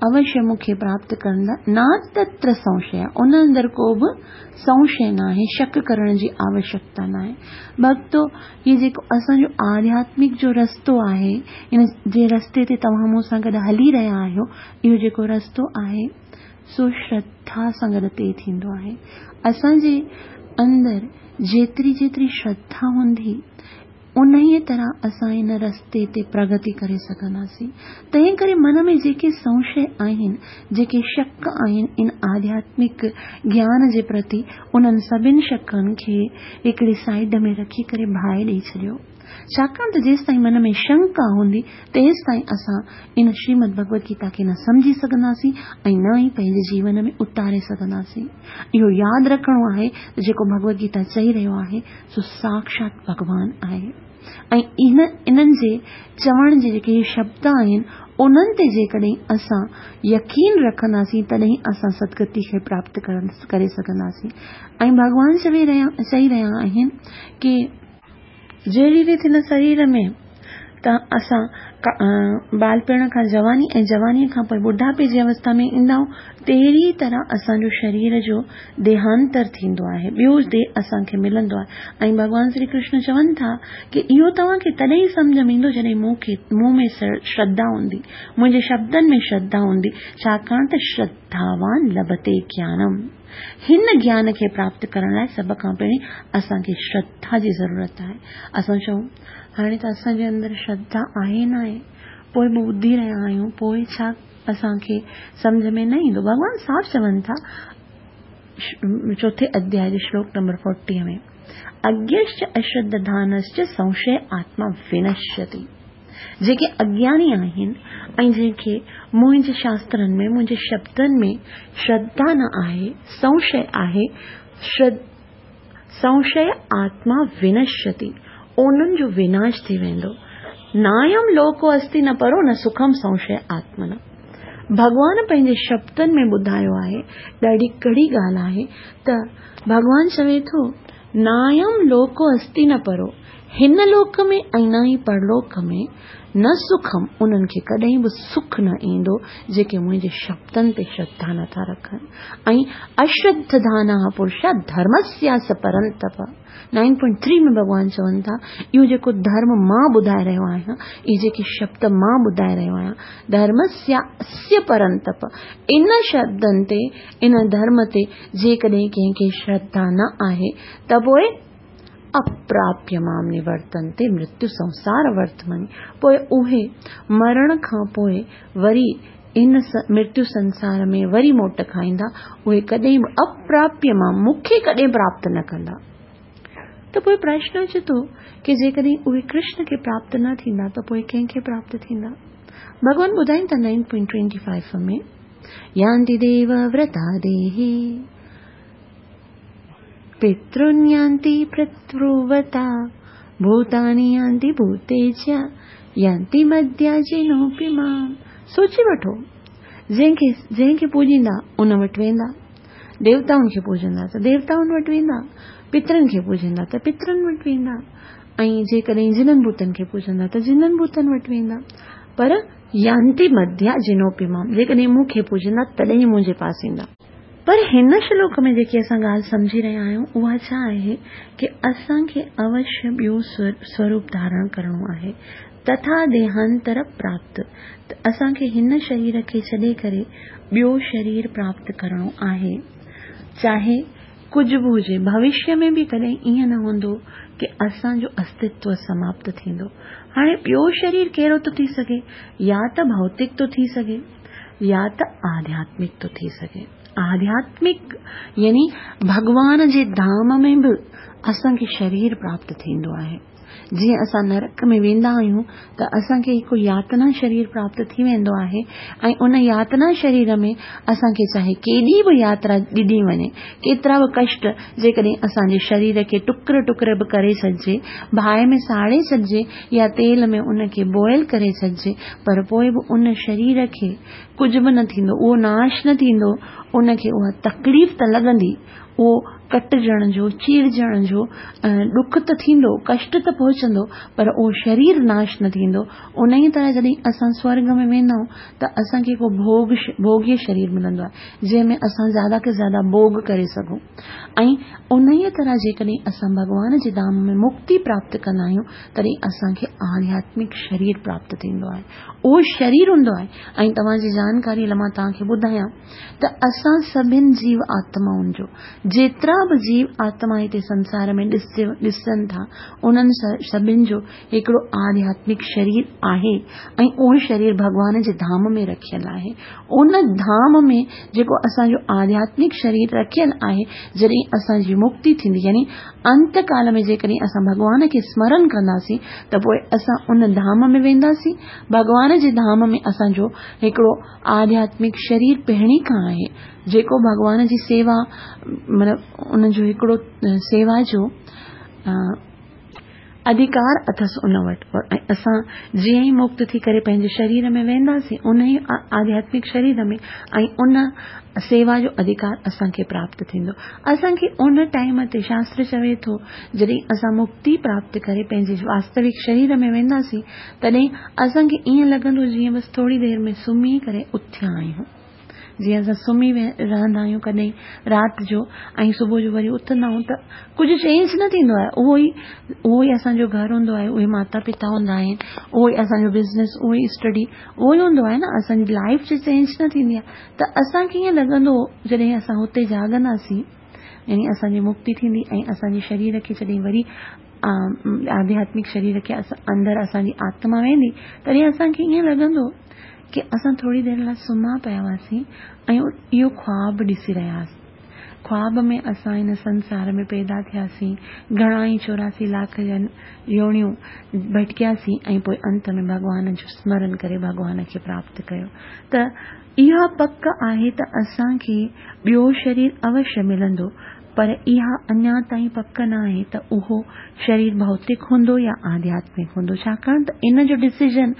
اوشيه مون کي پراپت ڪندا، ناتتر سنشيا، ان اندر ڪو به سنشي ناهي، شڪ ڪرڻ جي آوشيڪتا ناهي. ڀڳتو، هي جيڪو اسان جو آڌياتمڪ جو رستو آهي، ان جي رستي تي توهان مون سان گڏ هلي رهيا آهيو، اهو جيڪو رستو آهي سو شرڌا سان گڏ طئي ٿيندو آهي. اسان جي اندر جيتري جيتري شرڌا هوندي انهيء طرح اسان ان رستي تي پرگتي ڪري سگهنداسين. تنهن ڪري من ۾ جيڪي سنشي آهن، جيڪي شڪ آهن ان آڌياتمڪ گيان جي پرتي، انهن سڀني شڪن کي هڪڙي سائيڊ ۾ رکي ڪري باهه ڏئي ڇڏيو. ڇاڪاڻ ته جيستائين من ۾ شنڪا هوندي تيستائين اسان ان شريمد ڀڳوت گيتا کي نه سمجهي سگهنداسين ۽ نه ئي پنهنجي جيون ۾ اتاري سگهنداسين. اهو ياد رکڻو آهي ته جيڪو ڀڳوت گيتا چئي رهيو آهي سو ساکشات ڀڳوان آهي ۽ ان انهن جي چوڻ جي جيڪي شبد آهن انهن تي جيڪڏهن اسان يقين رکنداسين تڏهن اسان سدگتي کي پراپت ڪري سگهنداسين. ۽ ڀڳوان چوي رهيا چئي رهيا آهن ڪي جهڙي ريت هن شرير ۾ ته اسان ٻالپڻ کان جواني ۽ جوانيء کان پوء ٻڍاپي جي اوسٿا ۾ ايندا آهيون، تهڙي طرح اسان جو شرير جو ديهانتر ٿيندو آهي، ٻيو ديهه اسان کي ملندو آهي. ۽ ڀڳوان شري ڪرشن چون ٿا ڪي اهو توهان کي تڏهن ئي سمجهه ۾ ايندو جڏهن مون کي مون ۾ شرڌا هوندي، منهنجي شبدن ۾ شرڌا هوندي، ڇاڪاڻ ته شرڌاوان لڀتي گيانم. هن گيان کي پراپت ڪرڻ لاء سڀ کان پهرين اسان کي شرڌا جي ضرورت آهي. اسان چئون هاڻي ته اسان جي اندر شرڌا آهي ناهي، پوء به ٻڌي رهيا آهيون، پوء ڇا اسان کي سمجهه ۾ نه ايندو؟ ڀڳوان صاف چون ٿا چوٿين اڌياء جي شلوڪ نمبر چاليهه ۾، اگيشچ اشرڌانشچ سنشي آتما ونشيتي. جيڪي اگياني آهن ۽ جنهن کي منهنجي شاسترن ۾ منهنجي شبدن ۾ شرڌا نه آهي، سنشي آهي، سنشي آتما ونشيتي، انهن جو وناش ٿي ويندو. نايم لوڪو استي نه پرو نه سکم سنشي آتمنا. ڀڳوان پنهنجي شبدن ۾ ٻڌايو آهي، ڏاڍي ڪڙي ڳالهه آهي ته ڀڳوان چوي ٿو نايم لوڪو استي نه پرو، هن لوڪ ۾ ۽ نه ئي پرلوڪ ۾ نه سکم، انهن کي ڪڏهن به سک نه ايندو جيڪي منهنجي شبدن تي شرڌا نٿا رکن. ۽ اشرڌڌانا پرشا ڌرمسياس پرنتپ، نائن پوائنٽ ٿري ۾ ڀڳوان چون ٿا اهو جيڪو ڌرم مان ٻڌائي رهيو آهيان، اهي جيڪي شبد مان ٻڌائي رهيو آهيان، ڌرمسياس پرنتپ، ان شبدن تي ان ڌرم تي جيڪڏهن ڪنهن کي شرڌا نه آهي ته پوء اپراپيه مام نورتنتي مرتيو سنسار ورتمني، پوء اهي مرڻ کان پوء وري ان مرتيو سنسار ۾ وري موٽ کائيندا، اهي ڪڏهن به اپراپيه مام مون کي ڪڏهن پراپت نه ڪندا. ته پوء پرشن اچي ٿو ڪي جيڪڏهن اهي ڪرشن کي پراپت نه ٿيندا ته پوء ڪنهن کي پراپت ٿيندا؟ ڀڳوان ٻڌائين ٿا نائن پوائنٽ ٽوئنٽي فائيو ۾ يانتي ديو ورتا ديهي پترن يانتي پتروتا ڀوتاني يانتي ڀوتيجيا يانتي مدياجينوپي مام. سوچي وٺو، جنهن کي جنهن کي پوڄيندا ان وٽ ويندا، ديوتائن کي پوڄندا ته ديوتائن وٽ ويندا، پترن کي پوڄندا ته پترن وٽ ويندا، ۽ جيڪڏهن جنن ڀوتن کي پوڄندا ته جنن ڀوتن وٽ ويندا. پر يانتي مديا جنوپي مام، جيڪڏهن مون کي پوڄندا تڏهن منهنجي پاس ايندا. پر هن شلوڪ ۾ جيڪي اسان ڳالهه سمجهي رهيا آهيون اها ڇا آهي ڪي اسان کي اوشيه ٻيو سوروپ ڌارڻ ڪرڻو آهي. تٿا ديهانتر پراپت، ته اسان کي هن شرير کي ڇڏي ڪري ٻيو شرير پراپت ڪرڻو آهي، چاهي ڪجهه به هجي. ڀوشيه ۾ به ڪڏهن ائين نه هوندو ڪه اسان جو استتو سماپت ٿيندو. هاڻي ٻيو شرير ڪهڙو ٿو ٿي سگهي؟ يا ته ڀوتڪ ٿو ٿي سگهي يا ته آڌياتمڪ ٿو ٿي سگهي. آڌياتمڪ يعني ڀڳوان جي ڌام ۾ به اسان کي شرير پراپت ٿيندو آهي. جيئن اسان نرڪ ۾ ويندا آهيون ته اسان کي هڪ ياتنا شرير پراپت ٿي ويندو آهي ۽ ان ياتنا شرير ۾ اسان کي چاهي ڪيڏي به ياترا ڏني وڃي، ڪيترا به ڪشٽ، جيڪڏهن اسان جي شرير کي ٽڪر ٽڪر به ڪري ڇڏجي، باهه ۾ ساڙي ڇڏجي يا تيل ۾ ان کي بوائل ڪري ڇڏجي، پر پوءِ به ان شرير کي ڪجهه به نه ٿيندو، اهو ناش نه ٿيندو، ان کي اها تڪليف ته لڳندي، اهو ڪٽجڻ جو، چيرجڻ جو ڏک ته ٿيندو، ڪشٽ ته پهچندو، پر اهو شرير ناش نه ٿيندو. ان ئي طرح جڏهن اسان سورڳ ۾ ويندا آهيون ته اسان کي هڪ ڀوڳ ڀوڳيه شرير ملندو آهي، جنهن ۾ اسان زياده کان زياده ڀوڳ ڪري سگهون. ۽ ان ئي طرح جيڪڏهن اسان ڀڳوان جي ڌام ۾ مڪتي پراپت ڪندا آهيون تڏهن اسان کي آڌياتمڪ شرير پراپت ٿيندو آهي. اهو شرير هوندو آهي. ۽ توهان جي جانڪاري لاءِ مان توهان کي ٻڌايان ته اسان سڀني جيو آتمائن جو، جيترا به جيو آتما هتي سنسار ۾ ڏسن ٿا، انهن سڀني جو هڪڙو آڌياتمڪ شرير آهي ۽ اهو شرير ڀڳوان جي ڌام ۾ رکيل آهي. ان ڌام ۾ جيڪو اسان جو آڌياتمڪ شرير رکيل آهي، جڏهن اسان جي مڪتي ٿيندي، يعني انت ڪال ۾ جيڪڏهن اسان ڀڳوان کي سمرن ڪنداسين ته پوءِ اسان ان ڌام ۾ وينداسين. ڀڳوان جي ڌام ۾ اسان جو هڪڙو آڌياتمڪ شرير پهرين کان آهي، جيڪو ڀڳوان جي سيوا، مطلب ان جو هڪڙو سيوا جو اڌڪار اٿس ان وٽ. ۽ اسان جيئن ئي مڪت ٿي ڪري پنهنجي شرير ۾ وينداسين، ان ئي آڌياتمڪ شرير ۾، ۽ ان سيوا جو اڌڪار اسان کي پراپت ٿيندو. اسان کي ان ٽائيم تي شاستر چوي ٿو، جڏهن اسان مڪتي پراپت ڪري پنهنجي واستوڪ شرير ۾ وينداسين تڏهن اسان کي ائين لڳندو جيئن بس ٿوري دير ۾ سمهي ڪري اٿيا آهيون. جيئن اسان سمهي رهندا آهيون ڪڏهن رات جو ۽ صبح جو وري اٿندا آهيون ته ڪجهه چينج نه ٿيندو آهي، اهو ئي اهو ئي اسان جو گهر هوندو آهي، اهي ماتا پتا هوندا آهن، اهو ئي اسان جو بزنس، اهو ئي اسٽڊي، اهو ئي هوندو آهي نه، اسان جي لائيف چينج نه ٿيندي آهي. ته اسان کي ائين لڳندو جڏهن اسان هتي جاڳنداسين، يعني اسان جي مڪتي ٿيندي ۽ اسان جي شرير کي جڏهن وري آڌياتمڪ شرير کي اندر اسان جي آتما ويندي، تڏهن اسان کي ائين لڳندو ڪه اسان ٿوري دير لاءِ سمهيا پيا هئاسين ۽ اهو خواب ڏسي رهيا هئاسين. خواب ۾ اسان هن سنسار ۾ پيدا ٿياسين، گهڻا ئي چوراسي لاک يونيون ڀٽڪياسين ۽ پوءِ انت ۾ ڀڳوان جو سمرن ڪري ڀڳوان کي پراپت ڪيو. ته اها پڪ آهي ته اسان کي ٻيو شرير اوشيه ملندو، پر اها اڃا تائين پڪ نه آهي ته اهو شرير ڀوتڪ هوندو يا آڌياتمڪ هوندو، ڇاڪاڻ ته ان جو ڊسيزن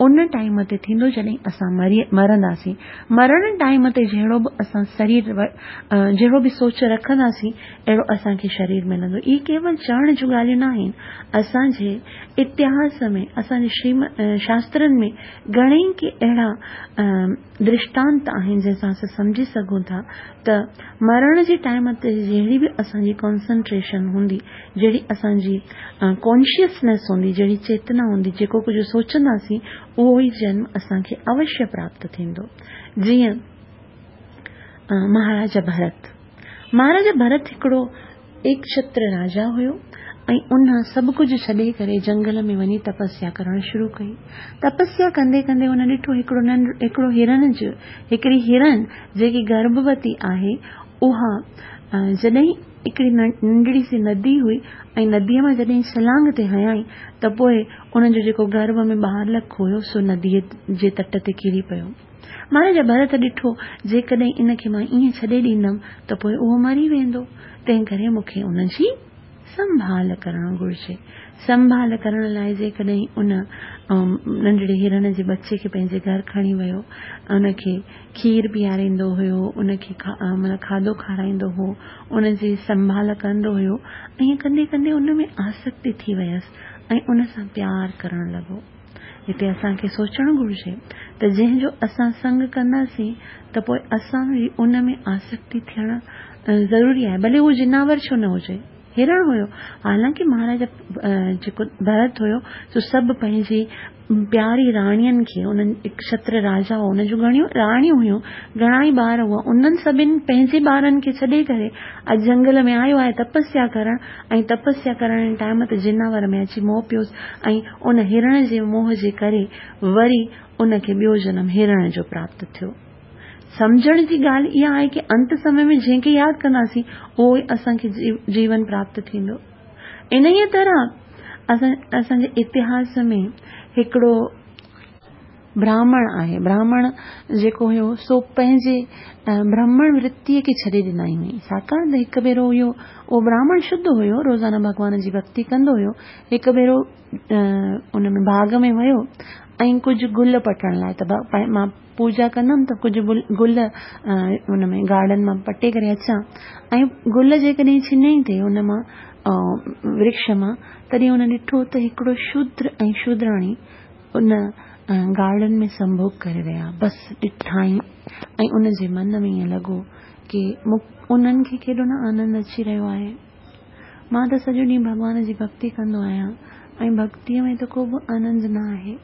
ان ٽائيم تي ٿيندو جڏهن اسان مري مرنداسين. مرڻ ٽائيم تي جهڙو به اسان شرير جهڙو به سوچ رکنداسين اهڙو اسان کي شرير ملندو. اهي ڪيول چوڻ جون ڳالهيون نه آهن، اسان جي اتهاس ۾ اسان جي شريم شاسترن ۾ گهڻيئي ڪي اهڙا درشٽانت آهن جنهن سان اسان سمجهي سگهون ٿا ته مرڻ جي ٽائيم تي جهڙي به اسان جي ڪانسنٽريشن هوندي، جهڙي اسان جي ڪانشسنيس هوندي، جهڙي چيتنا هوندي، جيڪو ڪجهه سوچنداسين اهو ئي جنم اسان کي اوشيه پراپت ٿيندو. جيئن مهاراجا ڀرت، مهاراجا ڀرت هڪڙو ايڪڇتر راجا هيو ۽ ان سڀ ڪجهه ڇڏي ڪري جنگل ۾ وڃي تپسيا ڪرڻ شروع ڪئي. تپسيا ڪندي ڪندي هن ڏٺو هڪڙو ننڍ هڪڙو هرڻ جو هڪڙي هرڻ جيڪي گرڀوتي آهي، اها جڏهن هڪڙي ننڍڙي سي ندي هئي ۽ نديءَ مان جڏهن ڇلانگ تي هيائين ته پوءِ ان جو جيڪو گرڀ ۾ ٻالڪ هيو سو نديءَ جي تٽ تي ڪري پيو. مهاراجا ڀرت ڏٺو جيڪڏهن ان کي مان ائين ڇڏي ڏيندم ته پوءِ اهو مري ويندو، تنهن ڪري مون کي ان جي سنڀال ڪرڻ گهرجي. سنڀال ڪرڻ لاءِ جيڪڏهن ان ننڍڙي هرڻ جي ٻچي کي پنهنجي گهر کڻي ويو، ان کي کير پياريندو هيو، ان کي معنيٰ کاڌو کارائيندو هو، ان جي سنڀال ڪندو هيو. ائين ڪندي ڪندي ان ۾ آسڪتي ٿي ويس ۽ ان سان پيار ڪرڻ لڳو. هتي اسان کي سوچڻ گهرجي ته جنهن جو اسان سنگ ڪنداسين ته پوءِ اسان جي ان ۾ آسڪتي ٿيڻ ضروري آهي، ڀلي اهو جناور ڇو نه هجي. هرڻ هيو. حالانڪه مهاراجا جيڪو ڀرت هيو سو سڀ پنهنجي پياري راڻين کي، انهن اڪشتر راجا هو، ان جون گهڻيون راڻيون هيون، گهڻا ئي ٻار هئا، انهن سڀن پنهنجي ٻارن کي ڇڏي ڪري اڄ جنگل ۾ آيو آهي تپسيا ڪرڻ، ۽ تپسيا ڪرڻ جي ٽائيم تي جناور ۾ اچي موهه پيوس ۽ ان هرڻ جي موهه جي ڪري وري ان کي ٻيو جنم هرڻ جو پراپت ٿيو. سمجهڻ جي ڳالهه اها آهي ڪه انت سمي ۾ جنهن کي ياد ڪنداسين اهو ئي اسان کي جيون پراپت ٿيندو. انهيء طرح اسان اسان جي اتهاس ۾ هڪڙو براهمڻ آهي. براهمڻ جيڪو هيو سو پنهنجي برهمڻ ورتيء کي ڇڏي ڏنائين هئي، ڇاڪاڻ ته هڪ ڀيرو اهو اهو براهمڻ شڌ هيو، روزانه ڀڳوان جي ڀڳتي ڪندو هيو. هڪ ڀيرو ان ۾ باغ ۾ ويو ۽ ڪجهه گل پٽڻ لاءِ ته مان پوڄا ڪندم ته ڪجهه گل ان ۾ گارڊن مان پٽي ڪري اچان، ۽ گل جيڪڏهن ڇنيائين ٿي ان مان ورڪش مان، تڏهن هن ڏٺو ته هڪڙو شودر ۽ شودراڻي ان گارڊن ۾ سنڀوگ ڪري رهيا. بس ڏٺائين ۽ ان جي من ۾ ائين لڳو ڪه انهن کي ڪيڏو نه آنند اچي رهيو آهي، مان ته سڄو ڏينهن ڀڳوان جي ڀڳتي ڪندو آهيان ۽ ڀڳتيءَ ۾ ته ڪو به آنند نه آهي،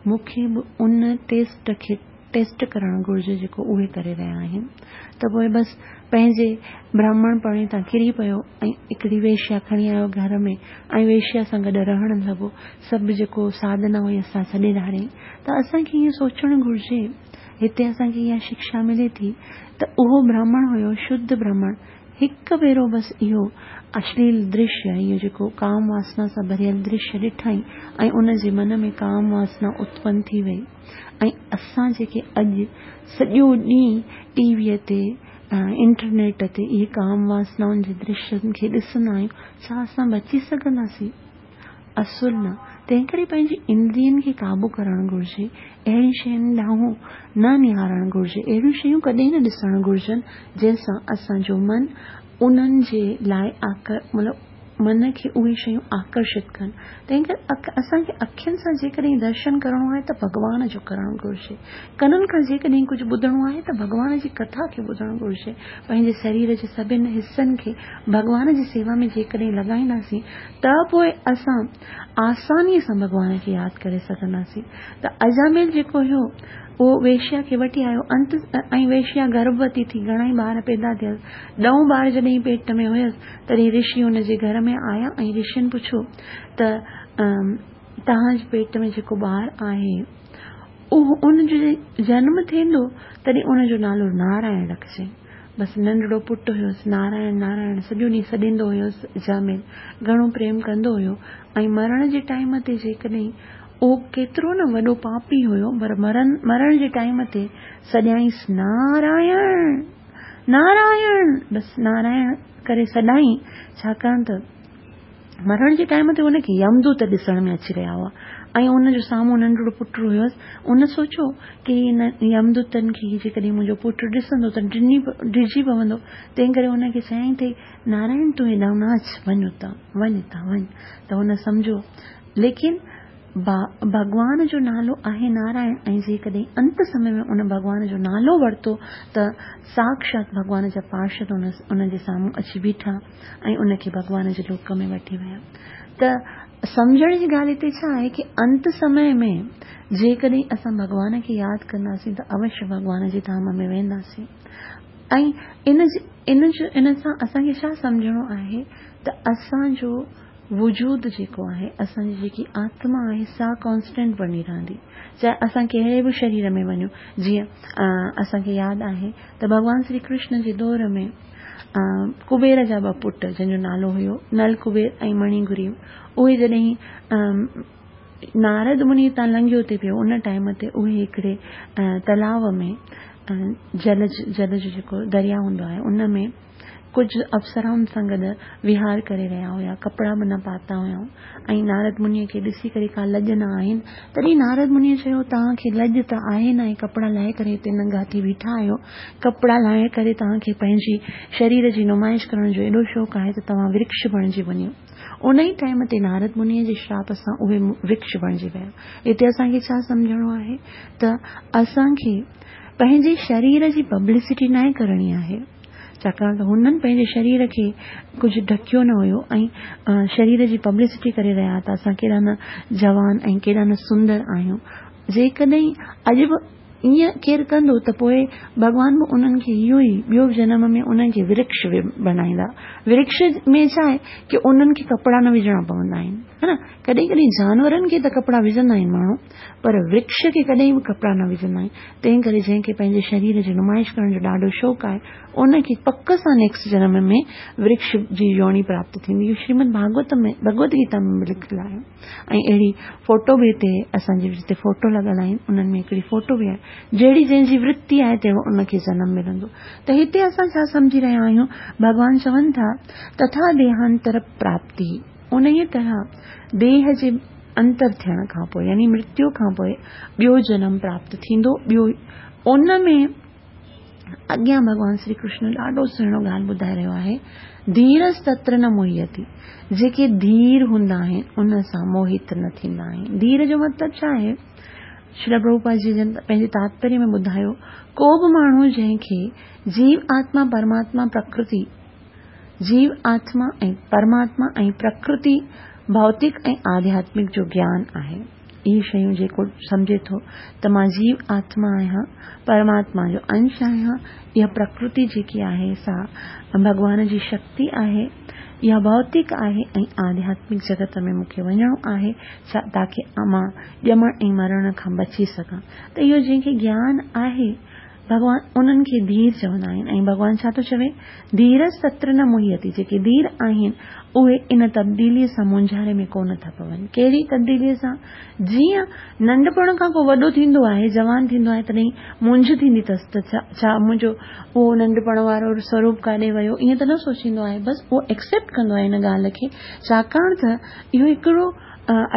مون کي به ان ٽيسٽ کي ٽيسٽ ڪرڻ گهرجي جيڪو اهي ڪري رهيا آهن. ته پوءِ بس پنهنجي براهمڻ پڻي تان ڪري پيو ۽ هڪڙي ويشيا کڻي آيو گهر ۾ ۽ ويشيا سان گڏ رهڻ لڳو. سڀ جيڪو ساڌنا هئي اسان ڇڏي ڌاريائين. ته اسان کي ائين سوچڻ گهرجي، هتي اسان کي اها شڪشا ملي ٿي ته اهو براهمڻ هيو شڌ براهمڻ، هڪ ڀيرو بس اهو اشليل درشيه، اهو جيڪو ڪام واسنا سان ڀريل درشيه ڏٺائين ۽ ان جي من ۾ ڪام واسنا اتپن ٿي وئي. ۽ اسان جيڪي اڄ سڄو ڏينهن ٽي ويءَ تي، انٽرنيٽ تي اهي ڪام واسنائن جي درشين کي ڏسندا آهيون، ڇا اسان بچي سگهنداسين؟ اصل نه. تنهن ڪري پنهنجي اندرين کي قابو ڪرڻ گهرجي، اهڙين شين ڏانهن نه نهارڻ گهرجي، اهڙيون شيون ڪڏهن نه ڏسڻ گهرجن جنهن سان اسان جو من انهن جي لاءِ آڪر مطلب من کي اهي شيون آڪرشت ڪن. تنهن ڪري اسان کي اکين سان جيڪڏهن درشن ڪرڻو آهي ته ڀڳوان جو ڪرڻ گهرجي، ڪنن کان جيڪڏهن ڪجهه ٻڌڻو آهي ته ڀڳوان جي ڪٿا کي ٻڌڻ گهرجي، پنهنجي شرير جي سڀني حصن کي ڀڳوان جي سيوا ۾ جيڪڏهن لڳائينداسين ته پوءِ اسان آسانيءَ سان ڀڳوان کي ياد ڪري سگهنداسين. ته اجامل جيڪو هيو اهو ويشيا کي وٺي آيو انت، ۽ ويشيا گرڀوتي ٿي، گهڻا ئي ٻار پيدا ٿيس. ڏهون ٻار جڏهن پيٽ ۾ هيس تڏهن رشي هن جي گهر ۾ آيا ۽ رشين پڇيو ته توهان جي پيٽ ۾ جيڪو ٻار آهي اهو ان جو جنم ٿيندو تڏهن ان جو نالو نارائڻ رکجي. بس ننڍڙو پٽ هيس، نارائڻ نارائڻ سڄو ڏينهن سڏيندو هيس. اجامل گهڻو پريم ڪندو هيو ۽ مرڻ جي ٽائيم تي جيڪڏهن اهو ڪيترو نه وڏو پاپي هيو، پر مرڻ مرڻ جي ٽائيم تي سڏيائينس نارائڻ نارائڻ، بس نارائڻ ڪري سڏائين، ڇاڪاڻ ته مرڻ جي ٽائيم تي هن کي يمدوت ڏسڻ ۾ اچي رهيا هئا ۽ ان جو سامهون ننڍڙو پٽ هيس. ان سوچيو ڪه هن يمدوتن کي جيڪڏهن منهنجو پٽ ڏسندو ته ڊني ڊڄي پوندو، تنهن ڪري هن کي چيائين اٿئي نارائڻ تون هيڏانهن نه اچ، وڃ هتان، وڃ هتان وڃ. ته هن سمجهيو، ليڪن ڀڳوان جو نالو آهي نارائڻ ۽ جيڪڏهن انت سمي ۾ ان ڀڳوان جو نالو ورتو ته ساڪشات ڀڳوان جا پارشد ان جي سامهون اچي بيٺا ۽ ان کي ڀڳوان جي لوڪ ۾ وٺي ويا. ته سمجهڻ جي ڳالهه هتي ڇا آهي ڪه انت سمي ۾ جيڪڏهن اسان ڀڳوان کي ياد ڪنداسين ته اوشيه ڀڳوان جي ڌام ۾ وينداسين. ۽ ان جي ان جو ان سان اسان کي ڇا سمجهڻو آهي ته اسان جو وجود جيڪو آهي، اسان جي جيڪي آتما آهي سا ڪانسٽنٽ بڻي رهندي، چاهي اسان ڪهڙي به شرير ۾ وڃون. جيئن اسان کي ياد آهي ته ڀڳوان شري ڪرشن جي دور ۾ ڪبير جا ٻه پٽ جنهن جو نالو هيو نل ڪبير ۽ مڻيگريو، اهي جڏهن نارد مني تان لنگهيو ٿي پيو ان ٽائيم تي اهي هڪڙي تلاءُ ۾ جل جل جو جيڪو دريا هوندو آهي ان ۾ ڪجهه اپسرائن سان گڏ وهار ڪري رهيا هئا، ڪپڙا به نه پاتا هئائون ۽ نارد منيءَ کي ڏسي ڪري ڪا لڄ نه آهن. تڏهن نارد منيءَ چيو توهان کي لڄ ته آهي نه، ۽ ڪپڙا لاهي ڪري هتي ننگا ٿي بيٺا آهيو، ڪپڙا لاهي ڪري توهان کي پنهنجي شرير جي نمائش ڪرڻ جو ايڏو شوق آهي ته توهان ورڪش بڻجي وڃو. ان ئي ٽائيم تي نارد منيءَ جي شراپ سان اهي ورڪش بڻجي ويا. هتي اسان کي ڇا سمجهڻو آهي ته اسان کي پنهنجي شرير جي پبلسٽي ناهي ڪرڻي آهي. ڇاڪاڻ ته هنن پنهنجي شرير کي ڪجهه ڍڪيو نه هيو ۽ شرير جي پبلسٽي ڪري رهيا ته اسان ڪيڏا نه جوان ۽ ڪيڏا نه سندر آهيون. جيڪڏهن اڄ به ائين ڪير ڪندو ته پوءِ ڀڳوان به انهن کي اهو ئي ٻيو جنم ۾ انهن کي ورڪش بڻائيندا. ورڪش ۾ ڇا آهي ڪه انهن کي ڪپڙا نه وجهڻا پوندا آهن، ها نه؟ ڪڏهن ڪڏهن جانورن کي ته ڪپڙا وجهندا آهن ماڻهو، پر ورڪش کي ڪڏهن به ڪپڙا نه وجهندا آهن. تنهن ڪري جنهن کي پنهنجي شرير جي نمائش ڪرڻ جو ڏاڍو شوق آهي، ان کي پڪ سان نيڪسٽ جنم ۾ ورڪش جي يوني پراپت ٿيندي. اهو شريمد ڀاڳوت ۾ ڀڳوت گيتا ۾ به لکيل آهي ۽ اهڙي فوٽو به هتي اسان جي جتي فوٽو لڳل آهن انهن ۾ هڪڙي فوٽو به آهي، جهڙي جنهن جي ورتي آهي تهڙو ان کي جنم ملندو. ته هتي اسان ڇا سمجهي رهيا آهيون؟ ڀڳوان چون ٿا تٿا ديهانتر پراپتي، انهيء طرح ديهه جي انتر ٿيڻ کان پوءِ يعني مرتيو کان پوءِ ٻيو جنم پراپت ٿيندو. ٻيو ان ۾ اڳيان ڀڳوان شري ڪرشن ڏاڍو سهڻو ڳالهه ٻڌائي رهيو آهي، ڌيرس تتر نه موهيتي، جيڪي ڌير هوندا آهن ان سان موهت نه ٿيندا آهن. ڌير جو مطلب ڇا آهي؟ شري پرڀوپاد جي جن پنهنجي تاتپريه ۾ ٻڌايو، ڪو به ماڻهو جنهن کي جيو آتما پرماتما پرڪرتي، جيو آتما ۽ پرماتما ۽ پرڪرتي ڀوتڪ ۽ آڌياتمڪ جو گيان آهي، اهي شيون جيڪو سمجهي ٿو ته مان جيو آتما آهيان، پرماتما جو انش آهيان، اها پرڪرتي جيڪي آهي سا ڀڳوان جي شڪتي آهي، اها ڀوتڪ آهي ۽ آڌياتمڪ جڳت ۾ مون کي وڃڻو آهي تاڪه مان ڄمڻ ۽ مرڻ کان بچي سگهان. ته اهو جنهن کي گيان آهي ڀڳوان انهن کي ڌير چوندا آهن. ۽ ڀڳوان ڇا ٿو چوي؟ ڌيرس تتر نه موهيتي، جيڪي ڌير آهن اهي ان تبديليءَ سان مونجهاري ۾ ڪونه ٿا پون. ڪهڙي تبديليءَ سان؟ جيئن ننڍپڻ کان ڪو وڏو ٿيندو آهي، جوان ٿيندو آهي، تڏهن مونجهه ٿيندي اٿس ته ڇا ڇا منهنجو اهو ننڍپڻ وارو سوروپ ڪاڏي ويو، ائين ته نه سوچيندو آهي، بس اهو ايڪسيپٽ ڪندو آهي هن ڳالهه کي، ڇاڪاڻ ته اهو هڪڙو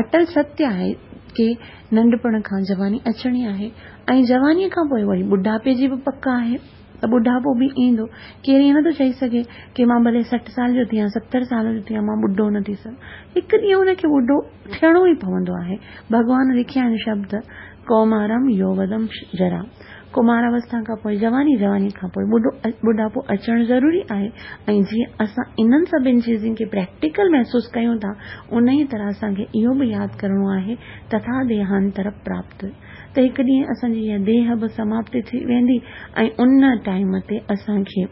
اٽل ستيه آهي ڪه ننڍپڻ کان جواني اچڻي آهي ۽ جوانيءَ کان پوءِ وري ٻڍاپي جي به پڪ آهي ته ٻڍاپو به ايندو. ڪير ائين نٿو چئي سگهي ڪه مان ڀلي سٺ سال جو ٿيان، ستر سال جو ٿيان، مان ٻڍو نه ٿي سگهان. هڪ ڏينهن هن کي ٻڍو ٿيڻو ئي پوندو آهي. ڀڳوان لکيا آهن شبد، ڪومارم يوودم جرا، ڪمار اوسٿا کان پوءِ جواني، جواني کان پوءِ ٻڍو ٻڍاپو اچڻ ضروري آهي. ۽ جيئن اسان انهن سڀني چيزن کي پريڪٽيڪل محسوس ڪيون ٿا، ان ئي طرح اسان کي اهو به ياد ڪرڻو آهي تٿا ديهانتر پراپت، ته هڪ ڏينهن اسان جي اها ديهه به سماپت ٿي ويندي ۽ ان ٽائيم تي اسان کي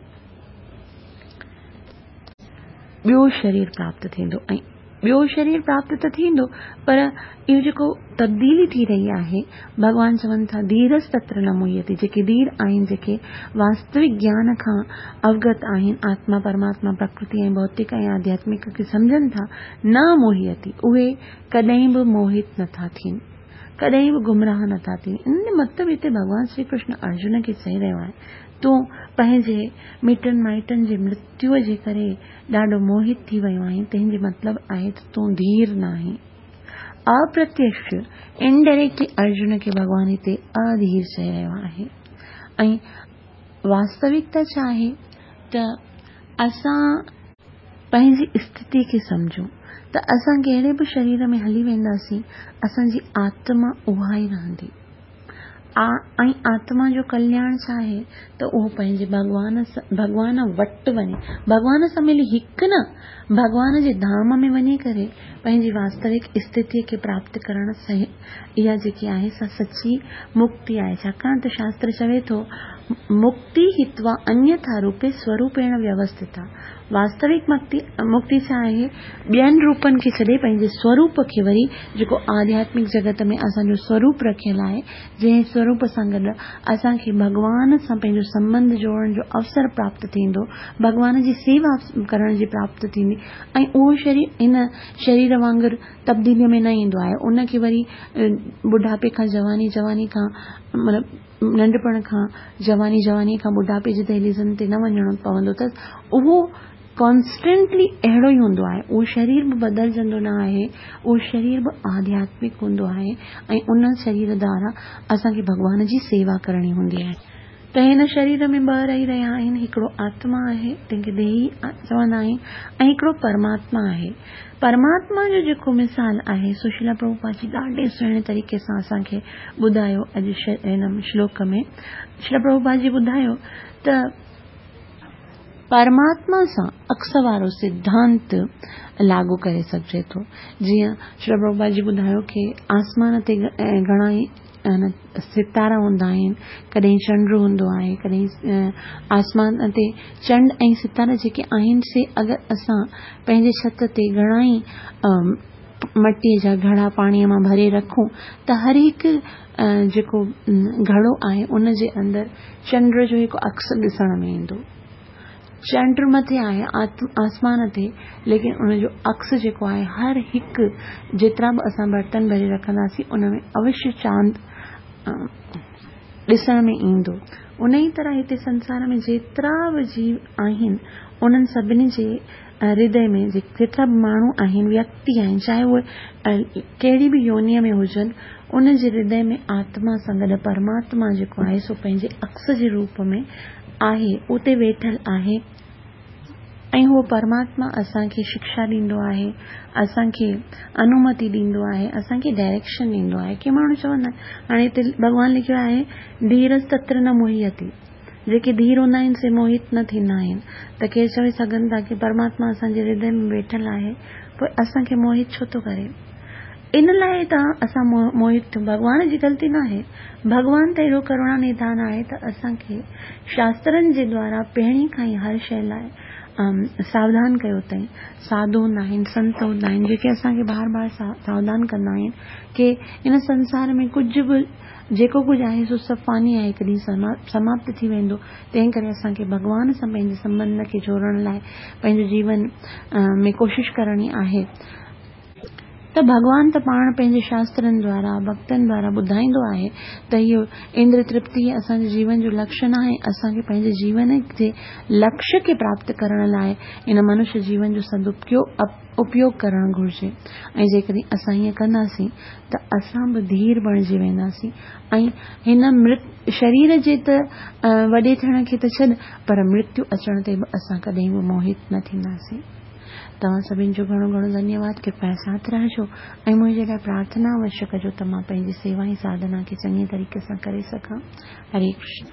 ٻيو شرير پراپت ٿيندو. ۽ ٻيو شرير پراپت ته ٿيندو، پر اهو جيڪو تبديلي ٿي رهي آهي، ڀڳوان چون ٿا ڌيرس تتر نه موهيتي، جيڪي ڌير آهن، جيڪي واستوڪ گيان کان اوگت آهن، آتما پرماتما پرڪرتي ۽ ڀوتڪ ۽ آڌياتمڪ کي سمجهن ٿا، نه موهيتي، اهي ڪڏهن به موهت نٿا ٿين، ڪڏهن به گمراهه نٿا ٿين. ان جو مطلب هتي ڀڳوان شري ڪرشن ارجن کي چئي رهيو آهي، تون پنهنجي مٽن مائٽن جي مرتيوءَ جي ڪري ڏاڍو موهت ٿي ويو آهين، تنهن جو مطلب آهي ته تون ڌير نه آهين. اپرتيڪش انڊائريڪٽلي ارجن کي ڀڳوان هتي اڌير چئي رهيو آهي. ۽ واستوڪتا ڇا آهي ته اسان پنهنجي اسٿتي کي سمجهون ته اسان ڪهڙي به شرير ۾ هلي وينداسين، اسان جي آتما اها ئي رهندي. ۽ آتما جو ڪلياڻ ڇا آهي ته اهو پنهنجي ڀڳوان ڀڳوان وٽ وڃي، ڀڳوان سان ملي هڪ نه، ڀڳوان جي ڌام ۾ وڃي ڪري پنهنجي واستوڪ اسٿتيءَ کي پراپت ڪرڻ اها جيڪي آهي سا سچي مڪتي آهي. ڇاڪاڻ ته شاستر چوي ٿو مڪتي هتوا انيٿا روپي سوروپيڻ ويوسٿتا. واستوڪ مڪتي مڪتي ڇا آهي؟ ٻين روپن کي ڇڏي پنهنجي سوروپ کي وري جيڪو آڌياتمڪ جڳت ۾ اسان جو سوروپ رکيل آهي، جنهن سوروپ سان گڏ اسان کي ڀڳوان سان پنهنجو سنٻنڌ جوڙڻ جو اوسر پراپت ٿيندو، ڀڳوان جي سيوا ڪرڻ جي پراپت ٿيندي ۽ اهو شرير هن شرير وانگر تبديليءَ ۾ نه ايندو آهي. ان کي وري ٻڍاپي کان جواني، جواني کان مطلب ننڍپڻ کان جواني، جواني کان ٻڍاپي جي دهليزن تي نه وڃڻو پوندو اٿس. اهو ڪانسٽنٽلي اهڙو ئي هوندو آهي. اهو شرير به بدلجندو نه آهي، اهو شرير به آڌياتمڪ هوندو آهي ۽ ان شرير دوارا اسان کي ڀڳوان جي سيوا ڪرڻي هوندي آهي. ته هن شرير ۾ ٻه رهي رهيا آهن، هڪڙو آتما آهي تنهن کي ديهي چوندا آهن ۽ هڪڙو پرماتما آهي. پرماتما جو جيڪو مثال آهي سو شريلا پرڀوپاد جي ڏاڍي سهڻي طريقي سان اسان کي ٻڌايو اڄ هن شلوڪ ۾. شريلا پرڀوپاد جي ٻڌايو ته پرماتما سان عڪس وارو سڌانت لاڳو ڪري سگهجي ٿو. جيئن شري پرڀوپاد جي ٻڌايو ڪي آسمان تي گهڻا ئي ستارا هوندا آهن، ڪڏهن چنڊ هوندو آهي، ڪڏهن آسمان تي چنڊ ۽ ستارا جيڪي آهن سي اگر اسان پنهنجي ڇت تي گهڻا ئي مٽيء جا گهڙا پاڻيء مان ڀري رکون ته هر هڪ جيڪو گهڙو آهي ان جي اندر چنڊ جو هڪ عڪس ڏسڻ ۾ ايندو. چنڊ مٿي آهي آسمان تي، ليڪن ان جو عڪس جيڪو آهي هر هڪ جيترا به اسان برتن ڀري رکنداسين ان ۾ اوشيه چاند ڏسڻ ۾ ايندو. ان ئي طرح هتي سنسار ۾ جيترا به جيو آهن انهن سڀني جي هردي ۾ جيترا به ماڻهو آهن، ويڪتي آهن، چاهي اهي ڪهڙي به يونيء ۾ هجن، ان جي هردي ۾ آتما سان گڏ پرماتما جيڪو آهي سو پنهنجي عڪس جي روپ ۾ آهي، اتي ويٺل آهي ۽ اهو پرماتما اسان کي شڪشا ڏيندو آهي، اسان کي انومتي ڏيندو آهي، اسان کي ڊائريڪشن ڏيندو آهي. ڪي ماڻهو چوندا آهن، هاڻي هتي ڀڳوان لکيو آهي ڌيرس تتر نه موهيتي، جيڪي ڌير هوندا آهن سي موهت نه ٿيندا آهن. ته ڪير چوي سگهن ٿا ڪي پرماتما اسان جي هردي ۾ ويٺل آهي، پوء اسان کي موهت ڇو ٿو ڪري؟ ان لاء ته اسان موهت ٿيون، ڀڳوان جي غلطي ناهي. ڀڳوان ته ايڏو ڪروڻا نڌان آهي ته اسان کي شاسترن جي دوارا پهرين کان ئي هر شيء لاء ساوڌان ڪيو اٿائين. ساڌو هوندا آهن، سنت هوندا آهن، جيڪي اسان کي بار بار ساوڌان ڪندا آهن ڪي ان سنسار ۾ ڪجهه به جيڪو ڪجهه آهي سو سڀ فاني آهي، هڪ ڏينهن سماپت ٿي ويندو. تنهن ڪري اسان کي ڀڳوان سان پنهنجي سنٻنڌ کي جوڙڻ لاء پنهنجي جيون ۾ ڪوشش ڪرڻي آهي. ته ڀڳوان ته پاڻ پنهنجي شاسترن دوارا، ڀڳتن دوارا ٻڌائيندو آهي ته اهو اندر ترپتي اسان جي جيون جو لڪشيه ناهي، اسان کي پنهنجي جيون جي لڪشيه کي پراپت ڪرڻ لاء ان منشيه جيون جو سدپيوگ اپيوگ ڪرڻ گهرجي ۽ جيڪڏهن اسان ائين ڪنداسين ته اسان به ڌير بڻجي وينداسين ۽ هن شرير جي ته وڏي ٿيڻ کي ته ڇڏ پر مرتيو اچڻ تي به اسان ڪڏهن به موهت نه ٿينداسين. توهان سڀني جو گهڻو گهڻو ڌنيواد. ڪرپيا ساٿ رهجو ۽ منهنجي لاء پرارٿنا اوشيه ڪجو ته مان پنهنجي سيوا ۽ ساڌنا کي چڱي طريقي سان ڪري سگهان. هري ڪرشن.